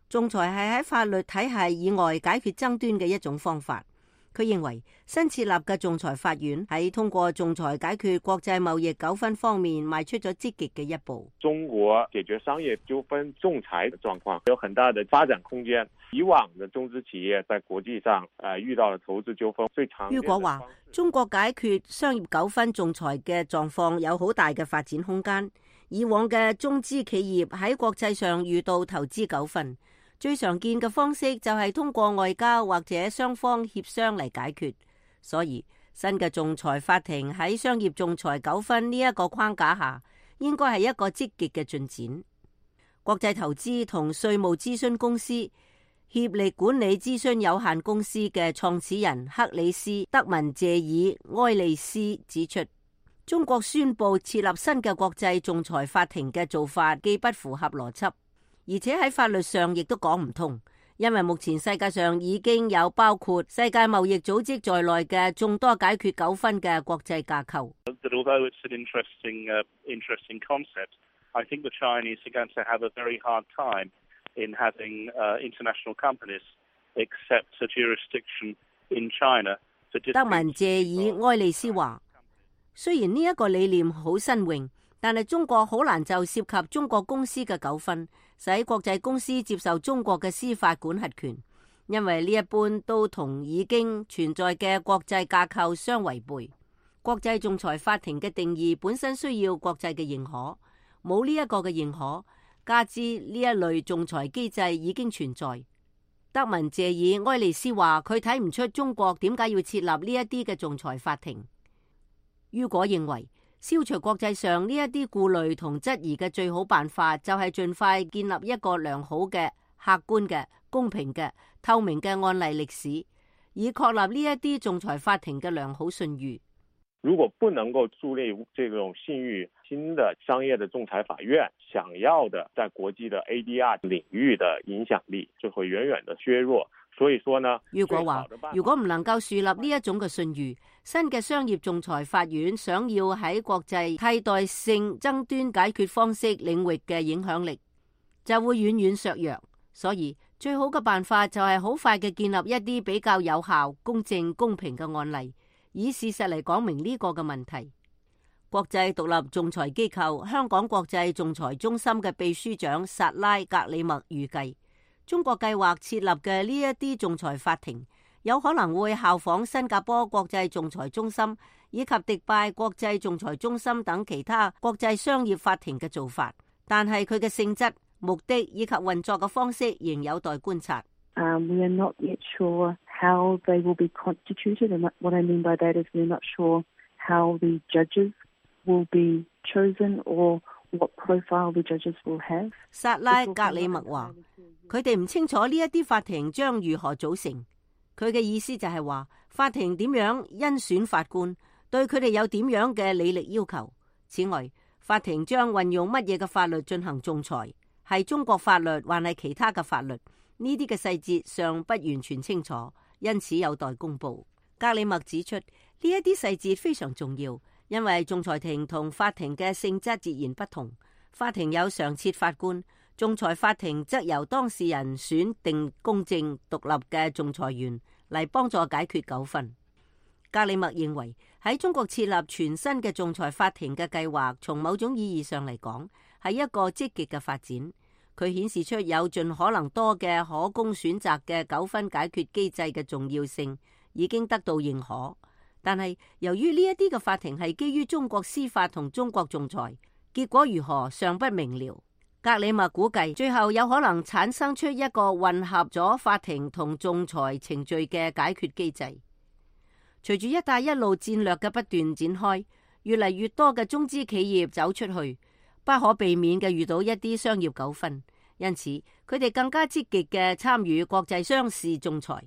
仲裁係喺法律體系以外解決爭端嘅一種方法。佢認為新設立嘅仲裁法院喺通過仲裁解決國際貿易糾紛方面邁出咗積極嘅一步。中國解決商業糾紛仲裁嘅狀況有很大的發展空間。以往的中資企業在國際上誒遇到了投資糾紛，最常見的。於果話，中國解決商業糾紛仲裁嘅狀況有好大嘅發展空間。以往嘅中資企業喺國際上遇到投資糾紛，最常見嘅方式就係通過外交或者雙方協商嚟解決。所以新嘅仲裁法庭喺商業仲裁糾紛呢一個框架下，應該係一個積極嘅進展。國際投資同稅務諮詢公司協力管理諮詢有限公司嘅創始人克里斯德文謝爾埃利斯指出，中國宣布設立新嘅國際仲裁法庭嘅做法既不符合邏輯，而且喺法律上亦都講唔通，因為目前世界上已經有包括世界貿易組織在內嘅眾多解決糾紛嘅國際架構。德文謝爾埃利斯話，雖然呢一個理念好新穎，但係中國好難就涉及中國公司嘅糾紛，使國際公司接受中國嘅司法管轄權，因為呢一般都同已經存在嘅國際架構相違背。國際仲裁法庭嘅定義本身需要國際嘅認可，冇呢一個嘅認可，加之呢一類仲裁機制已經存在。德文謝爾埃利斯話，佢睇唔出中國點解要設立呢一啲嘅仲裁法庭。於果認為，消除國際上呢一啲顧慮同質疑嘅最好辦法，就係盡快建立一個良好嘅、客觀嘅、公平嘅、透明嘅案例歷史，以確立呢一啲仲裁法庭嘅良好信譽。如果不能夠樹立這種信譽，新的商業的仲裁法院想要的在國際的 A D R 領域的影響力就會遠遠的削弱，所以說呢，如果話如果唔能夠樹立呢一種嘅信譽，新嘅商業仲裁法院想要喺國際替代性爭端解決方式領域嘅影響力就會遠遠削弱。所以最好嘅辦法就係好快嘅建立一啲比較有效、公正、公平嘅案例，以事實嚟講明呢個嘅問題。國際獨立仲裁機構香港國際仲裁中心嘅秘書長薩拉格里默預計，中國計劃設立嘅呢一啲仲裁法庭有可能會效仿新加坡國際仲裁中心以及迪拜國際仲裁中心等其他國際商業法庭嘅做法，但係佢嘅性質、目的以及運作嘅方式仍有待觀察。Um, we are not yet sure how they will be constituted, and what I mean by that is we're not sure how the judges will be chosen or what profile the judges will have. 薩拉格里默話：佢哋唔清楚呢一啲法庭將如何組成。佢嘅意思就係話，法庭點樣甄選法官，對佢哋有點樣嘅履歷要求。此外，法庭將運用乜嘢嘅法律進行仲裁，係中國法律還係其他嘅法律？呢啲嘅細節尚不完全清楚，因此有待公布。格里默指出，呢一啲細節非常重要。因為仲裁庭同法庭嘅性質截然不同，法庭有常設法官，仲裁法庭則由當事人選定公正獨立嘅仲裁員嚟幫助解決糾紛。格里默認為喺中國設立全新嘅仲裁法庭嘅計劃，從某種意義上嚟講係一個積極嘅發展。佢顯示出有盡可能多嘅可供選擇嘅糾紛解決機制嘅重要性已經得到認可。但係由於呢一啲嘅法庭係基於中國司法同中國仲裁，結果如何尚不明了。格里默估計最後有可能產生出一個混合咗法庭同仲裁程序嘅解決機制。隨住一帶一路戰略嘅不斷展開，越嚟越多嘅中資企業走出去，不可避免嘅遇到一啲商業糾紛，因此佢哋更加積極嘅參與國際商事仲裁。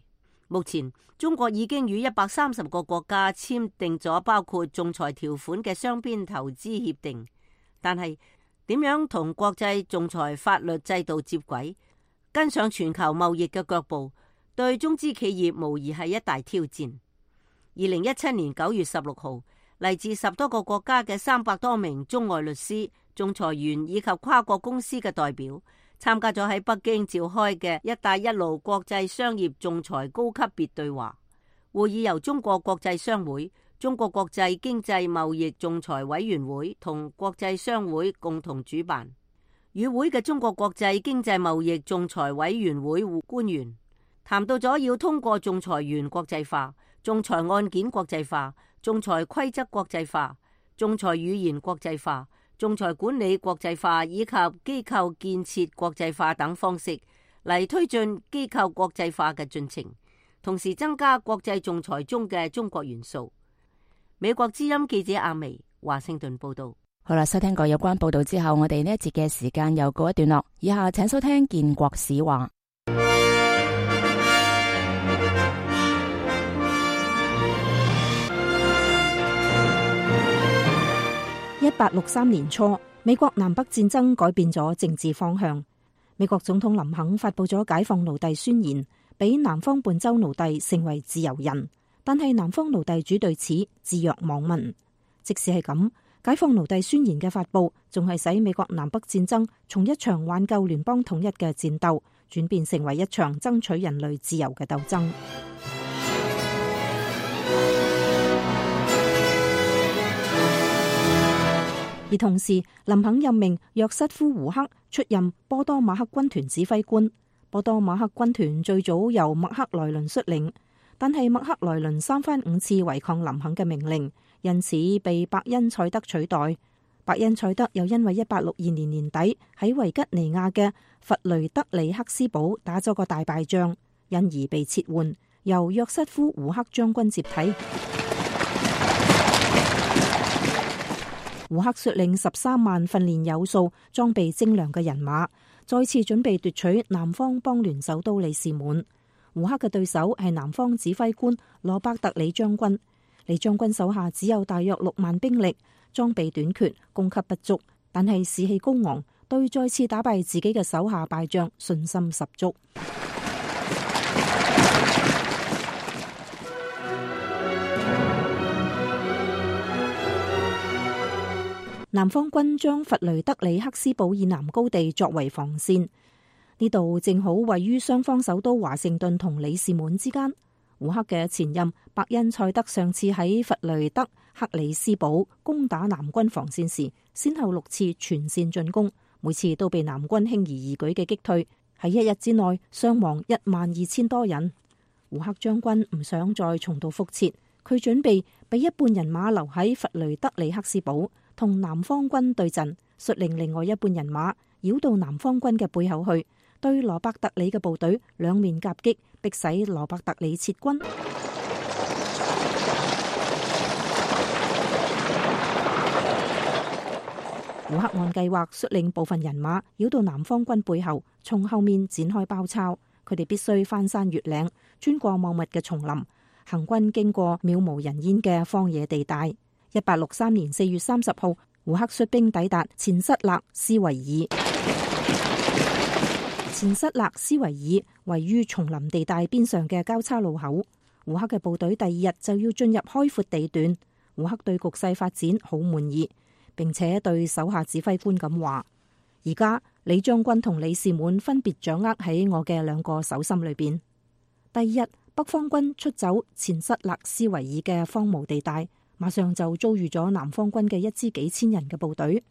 目前中國已經與一百三十個國家簽訂咗包括仲裁條款嘅雙邊投資協定，但係點樣同國際仲裁法律制度接軌，跟上全球貿易嘅腳步，對中資企業無疑係一大挑戰。二零一七年九月十六號，嚟自十多個國家嘅三百多名中外律師、仲裁員以及跨國公司嘅代表參加咗喺北京召開嘅一帶一路國際商業仲裁高級別對話會議，由中國國際商會、中國國際經濟貿易仲裁委員會同國際商會共同主辦。與會嘅中國國際經濟貿易仲裁委員會官員談到咗要通過仲裁員國際化、仲裁案件國際化、仲裁規則國際化、仲裁語言國際化、仲裁管理國際化以及機構建設國際化等方式嚟推進機構國際化嘅進程，同時增加國際仲裁中嘅中國元素。美國之音記者阿薇華盛頓報道。好啦，收聽過有關報道之後，我哋呢一節嘅時間又告一段落。以下請收聽建國史話。一八六三年初，美國南北戰爭改變咗政治方向。美國總統林肯發佈咗解放奴隸宣言，俾南方半州奴隸成為自由人。但係南方奴隸主對此置若罔聞。即使係咁，解放奴隸宣言嘅發佈，仲係使美國南北戰爭從一場挽救聯邦統一嘅戰鬥，轉變成為一場爭取人類自由嘅鬥爭。而同時，林肯任命約瑟夫·胡克出任波多馬克軍團指揮官。波多馬克軍團最早由麥克萊倫率領，但係麥克萊倫三番五次違抗林肯嘅命令，因此被伯恩賽德取代。伯恩賽德又因為一八六二年年底喺維吉尼亞嘅弗雷德里克斯堡打咗個大敗仗，因而被撤換，由約瑟夫·胡克將軍接替。胡克率領十三萬訓練有素、裝備精良嘅人馬，再次準備奪取南方邦聯首都里士滿。胡克嘅對手係南方指揮官羅伯特李將軍。李將軍手下只有大約六萬兵力，裝備短缺，供給不足，但係士氣高昂，對再次打敗自己嘅手下敗將信心十足。南方軍將弗雷德里克斯堡以南高地作為防線，呢度正好位於雙方首都華盛頓同里士滿之間。烏克嘅前任伯恩塞德上次喺弗雷德克里斯堡攻打南軍防線時，先後六次全線進攻，每次都被南軍輕而易舉嘅擊退，喺一日之內傷亡一萬二千多人。烏克將軍唔想再重蹈覆轍，佢準備俾一半人馬留喺弗雷德里克斯堡同南方軍對陣，率領另外一半人馬繞到南方軍嘅背後去，對羅伯特里嘅部隊兩面夾擊，迫使羅伯特里撤軍。烏克按計劃率領部分人馬繞到南方軍背後，從後面展開包抄。佢哋必須翻山越嶺，穿過茂密嘅叢林，行軍經過渺無人煙嘅荒野地帶。一八六三年四月三十號，烏克率兵抵達前塞勒斯維爾。前塞勒斯維爾位於叢林地帶邊上嘅交叉路口。烏克嘅部隊第二日就要進入開闊地段。烏克對局勢發展好滿意，並且對手下指揮官咁話：而家李將軍同李士滿分別掌握喺我嘅兩個手心裏邊。第二日，北方軍出走前塞勒斯維爾嘅荒蕪地帶，馬上就遭遇咗南方軍嘅一支幾千人嘅部隊。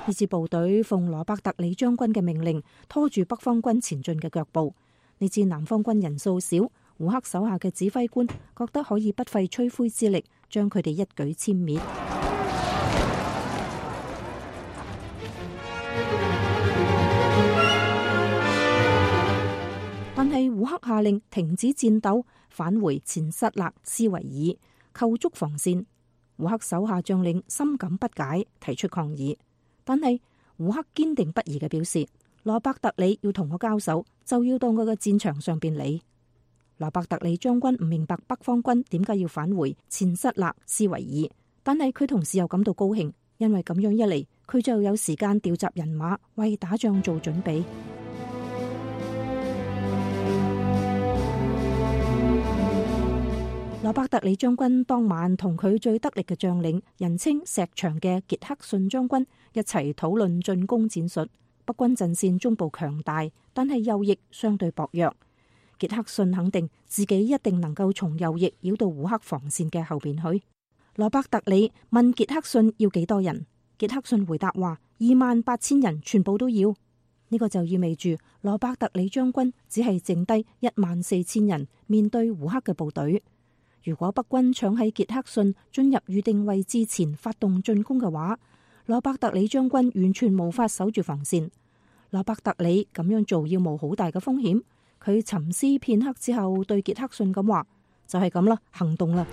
呢支部隊奉羅伯特里將軍嘅命令，拖住北方軍前進嘅腳步。呢支南方軍人數少，烏克手下嘅指揮官覺得可以不費吹灰之力將佢哋一舉殲滅。但係烏克下令停止戰鬥，返回前塞勒斯維爾，構築防線。烏克手下將領深感不解，提出抗議。但係烏克堅定不移嘅表示，羅伯特里要同我交手，就要到我嘅戰場上邊嚟。羅伯特里將軍唔明白北方軍點解要返回前塞勒斯維爾，但係佢同時又感到高興，因為咁樣一嚟，佢就有時間調集人馬為打仗做準備。羅伯特里將軍當晚同佢最得力嘅將領，人稱石牆嘅傑克遜將軍一齊討論進攻戰術。北軍陣線中部強大，但係右翼相對薄弱。傑克遜肯定自己一定能夠從右翼繞到烏克防線嘅後邊去。羅伯特里問傑克遜要幾多人，傑克遜回答話二萬八千人全部都要。呢個就意味住羅伯特里將軍只係剩低一萬四千人面對烏克嘅部隊。如果北軍搶喺傑克遜進入預定位置前發動進攻嘅話，羅伯特里將軍完全無法守住防線。羅伯特里咁樣做要冒好大嘅風險。佢沉思片刻之後，對傑克遜咁話：就係咁啦，行動啦！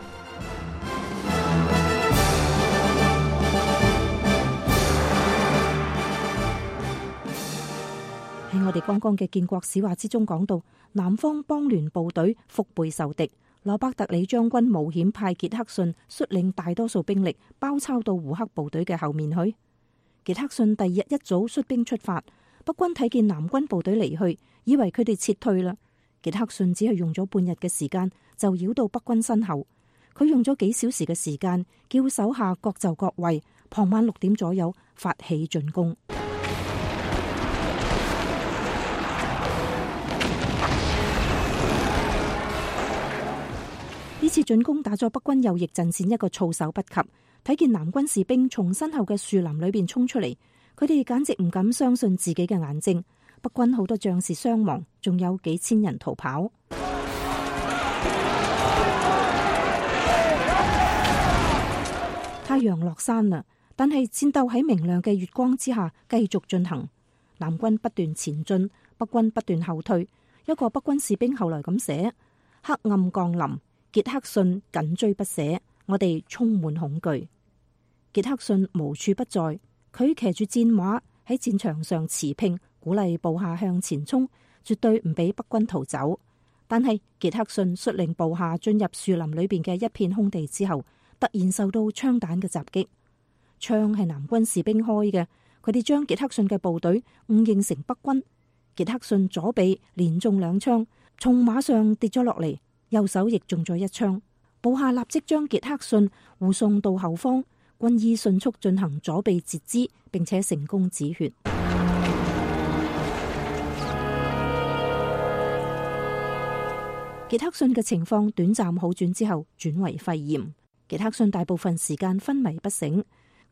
喺我哋剛剛嘅建國史話之中講到，南方邦聯部隊腹背受敵。羅伯特里將軍冒險派傑克遜率領大多數兵力包抄到烏克部隊嘅後面去。傑克遜第二日一早率兵出發，北軍睇見南軍部隊離去，以為佢哋撤退啦。傑克遜只係用咗半日嘅時間就繞到北軍身後，佢用咗幾小時嘅時間叫手下各就各位，傍晚六點左右發起進攻。呢次進攻打咗北軍右翼陣線一個措手不及，睇見南軍士兵從身後嘅樹林裏邊衝出嚟，佢哋簡直唔敢相信自己嘅眼睛。北軍好多將士傷亡，仲有幾千人逃跑。太陽落山啦，但係戰鬥喺明亮嘅月光之下繼續進行。南軍不斷前進，北軍不斷後退。一個北軍士兵後來咁寫：黑暗降臨，傑克遜緊追不捨，我哋充滿恐懼。傑克遜無處不在，佢騎住戰馬喺戰場上馳騁，鼓勵部下向前衝，絕對唔俾北軍逃走。但係傑克遜率領部下進入樹林裏邊嘅一片空地之後，突然受到槍彈嘅襲擊。槍係南軍士兵開嘅，佢哋將傑克遜嘅部隊誤認成北軍。傑克遜左臂連中兩槍，從馬上跌咗落嚟，右手亦中咗一槍。部下立即將傑克遜護送到後方，軍醫迅速進行左臂截肢，並且成功止血。傑克遜嘅情況短暫好轉之後轉為肺炎。傑克遜大部分時間昏迷不醒，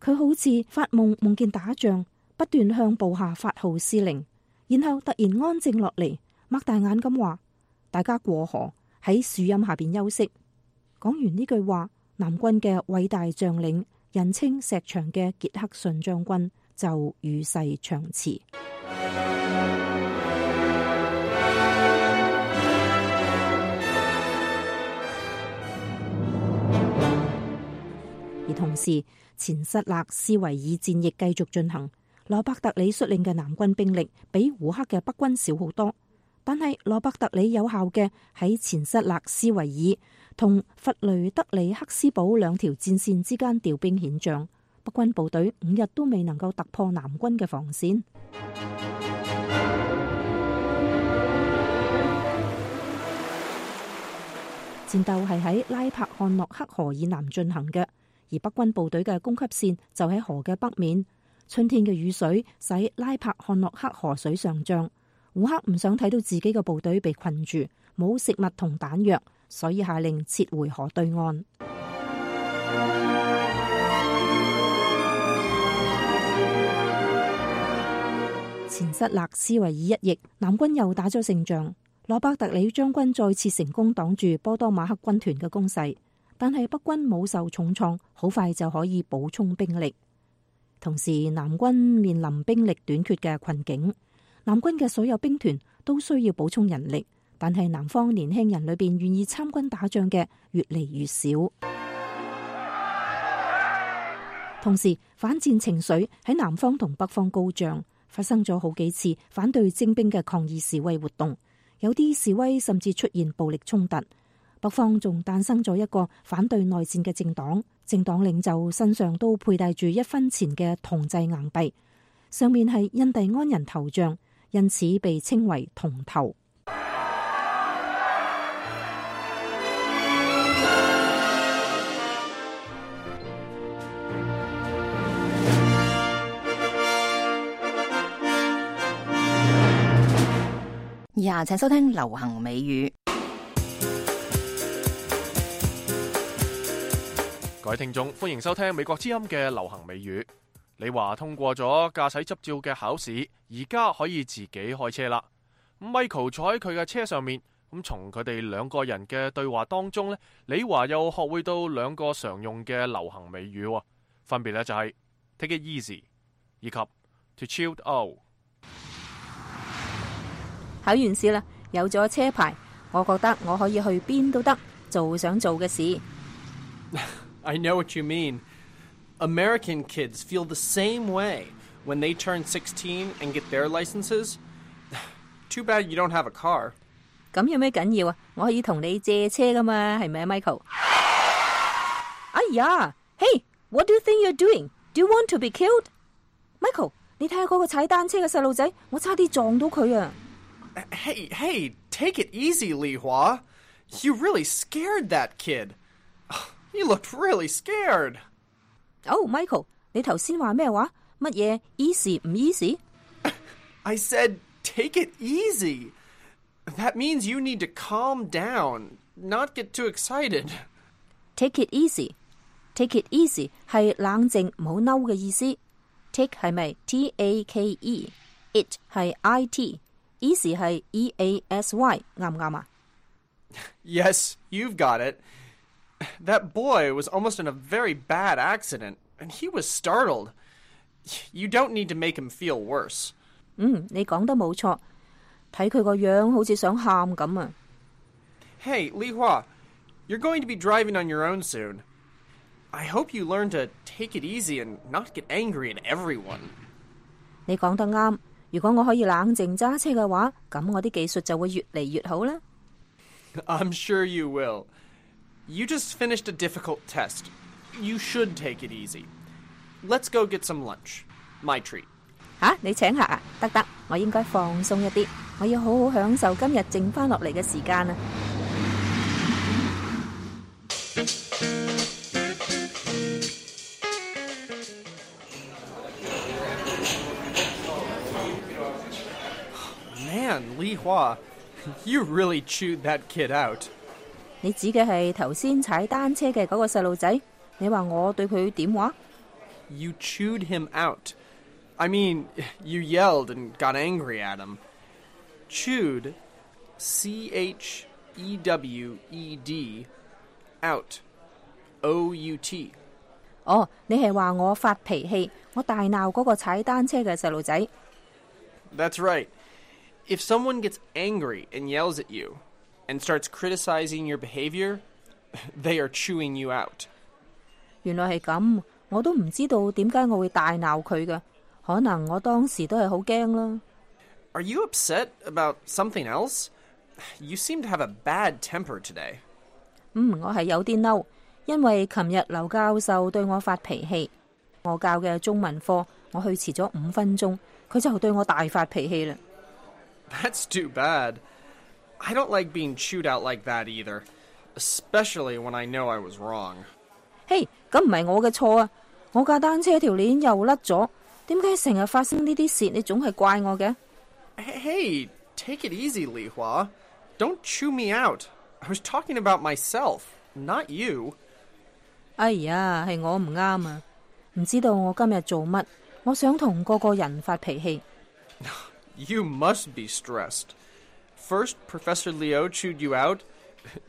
佢好似發夢夢見打仗，不斷向部下發號施令，然後突然安靜落嚟，擘大眼咁話：大家過河，喺樹蔭下邊休息。講完呢句話，南軍嘅偉大將領，人稱石牆嘅傑克遜將軍就與世長辭。而同時，前塞勒斯維爾戰役繼續進行。羅伯特里率領嘅南軍兵力比胡克嘅北軍少好多，但係羅伯特里有效嘅喺前塞勒斯維爾同弗雷德里克斯堡兩條戰線之間調兵遣將，北軍部隊五日都未能夠突破南軍嘅防線。戰鬥係喺拉柏漢諾克河以南進行嘅，而北軍部隊嘅供給線就喺河嘅北面。春天嘅雨水使拉柏漢諾克河水上漲，胡克唔想睇到自己嘅部隊被困住，冇食物同彈藥，所以下令撤回河對岸。前塞勒斯維爾一役，南軍又打咗勝仗。羅伯特里將軍再次成功擋住波多馬克軍團嘅攻勢，但係北軍冇受重創，好快就可以補充兵力。同時，南軍面臨兵力短缺嘅困境，南軍嘅所有兵團都需要補充人力，但係南方年輕人裏邊願意參軍打仗嘅越嚟越少。同時，反戰情緒喺南方同北方高漲，發生咗好幾次反對徵兵嘅抗議示威活動。有啲示威甚至出現暴力衝突，北方仲誕生咗一個反對內戰嘅政黨，政黨領袖身上都佩戴住一分錢嘅銅製硬幣，上面係印第安人頭像，因此被稱為銅頭。以下請收聽流行美語。各位聽眾，歡迎收聽美國之音嘅流行美語。李華通過咗駕駛執照嘅考試，而家可以自己開車啦。Michael 坐喺佢嘅車上面，咁從佢哋兩個人嘅對話當中呢，李華又學會到兩個常用嘅流行美語，分別呢就係 take it easy 以及 to chill out。考完試啦，有咗車牌，我覺得我可以去邊都得，做想做嘅事。I know what you mean. American kids feel the same way when they turn sixteen and get their licenses. Too bad you don't have a car. 咁有咩緊要啊？我可以同你借車噶嘛，係咪啊 ，Michael？ 哎呀 ，Hey, what do you think you're doing? Do you want to be killed? Michael， 你睇下嗰個踩單車嘅細路仔，我差啲撞到佢啊！ Hey, hey, take it easy, Li Hua. You really scared that kid. You looked really scared. Oh, Michael, 你頭先話咩話？乜嘢 easy 唔 easy? I said take it easy. That means you need to calm down, not get too excited. Take it easy. Take it easy 係冷靜唔好嬲嘅意思。Take 係咪 T A K E？It 係 I T。Easy 係 E A S Y， 啱唔啱啊？ Yes, you've got it. That boy was almost in a very bad accident, and he was startled. You don't need to make him feel worse. 嗯，你講得冇錯，睇佢個樣好似想喊咁啊。Hey, Li Hua, you're going to be driving on your own soon. I hope you learn to take it easy and not get angry at everyone. 你講得啱。如果我可以冷靜揸車嘅話，咁我啲技術就會越嚟越好啦。I'm sure you will. You just finished a difficult test. You should take it easy. Let's go get some lunch. My treat. 吓，你請客啊？得得，我應該放鬆一啲，我要好好享受今日剩翻落嚟嘅時間啊！ Man, Li Hua, you really chewed that kid out. 你指嘅係頭先踩單車嘅嗰個細路仔？你話我對佢點話？ You chewed him out. I mean, you yelled and got angry at him. Chewed, C H E W E D, out, O U T. 哦，你係話我發脾氣，我大鬧嗰個踩單車嘅細路仔。 That's right. If someone gets angry and yells at you and starts criticizing your behavior, they are chewing you out. 原來係咁，我都唔知道點解我會大鬧佢嘅，可能我當時都係好驚啦。 Are you upset about something else? You seem to have a bad temper today. 嗯，我係有啲嬲，因為琴日劉教授對我發脾氣，我教嘅中文課我去遲咗五分鐘，佢就對我大發脾氣啦。 That's too bad. I don't like being chewed out like that either, especially when I know I was wrong. 嘿，咁唔係我嘅錯啊！我架單車條鏈又甩咗，點解成日發生呢啲事？你總係怪我嘅。 Hey, take it easy, Li Hua. Don't chew me out. I was talking about myself, not you. 哎呀，係我唔啱啊！唔知道我今日做乜，我想同個個人發脾氣。 You must be stressed. First, Professor Liu chewed you out,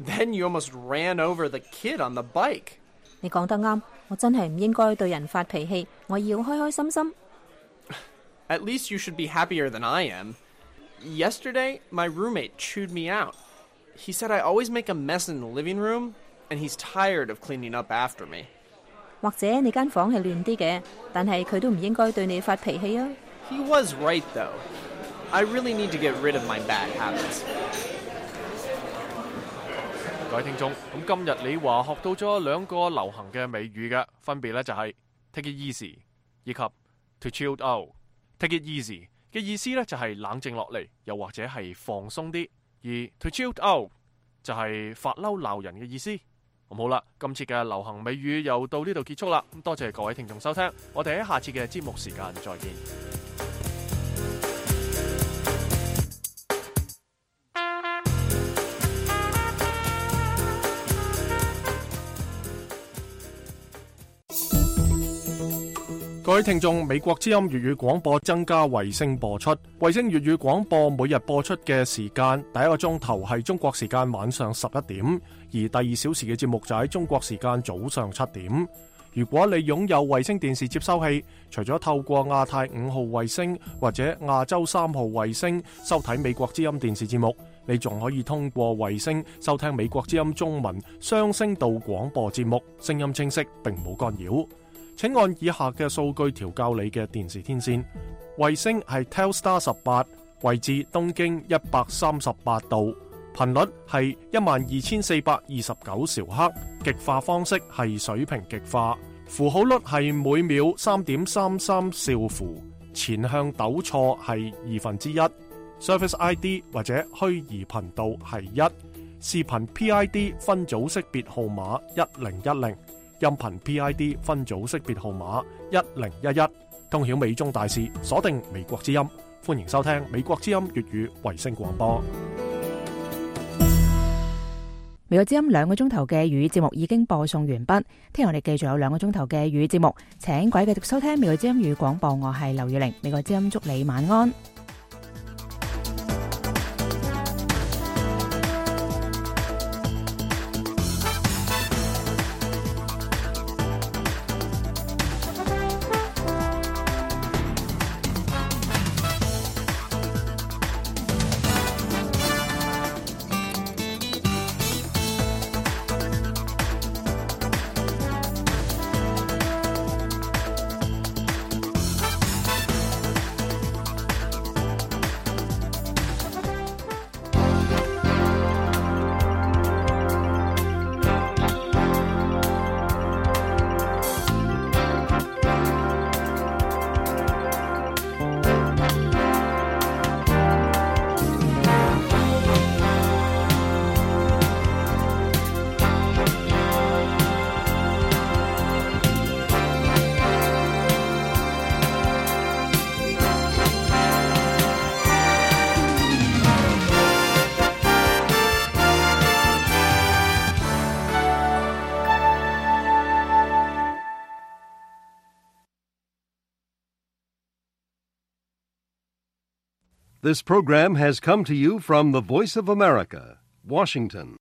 then you almost ran over the kid on the bike. 你講得啱，我真係唔應該對人發脾氣，我要開開心心。 At least you should be happier than I am. Yesterday, my roommate chewed me out. He said I always make a mess in the living room, and he's tired of cleaning up after me. 或者你間房係亂啲嘅，但係佢都唔應該對你發脾氣啊。 He was right, though. I really need to get rid of my bad habits. 各位聽眾，咁今日你話學到咗兩個流行嘅美語嘅，分別咧就係 take it easy 以及 to chill out。take it easy 嘅意思咧就係冷靜落嚟，又或者係放鬆啲；而 to chill out 就係發嬲鬧人嘅意思。咁好啦，今次嘅流行美語又到呢度結束啦。咁多謝各位聽眾收聽，我哋喺下次嘅節目時間再見。各位聽眾，美國之音粵語廣播增加衛星播出。衛星粵語廣播每日播出嘅時間，第一個鐘頭係中國時間晚上十一點，而第二小時嘅節目就喺中國時間早上七點。如果你擁有衛星電視接收器，除咗透過亞太五號衛星或者亞洲三號衛星收睇美國之音電視節目，你仲可以通過衛星收聽美國之音中文雙聲道廣播節目，聲音清晰並冇干擾。請按以下嘅數據調校你嘅電視天線。衛星係 Telstar 十八，位置東經一百三十八度，頻率係一萬二千四百二十九兆赫，極化方式係水平極化，符號率係每秒三點三三兆符，前向抖錯係二分之一，Service I D 或者虛擬頻道係一，視頻 P I D 分組識別號碼一零一零。音頻 P I D 分組識別號碼一零一一，通曉美中大事，鎖定美國之音，歡迎收聽美國之音粵語衛星廣播。美國之音兩個鐘頭嘅粵語節目已經播送完畢，聽日我哋繼續有兩個鐘頭嘅粵語節目，請各位繼續收聽美國之音粵語廣播，我係劉月玲，美國之音祝你晚安。This program has come to you from the Voice of America, Washington.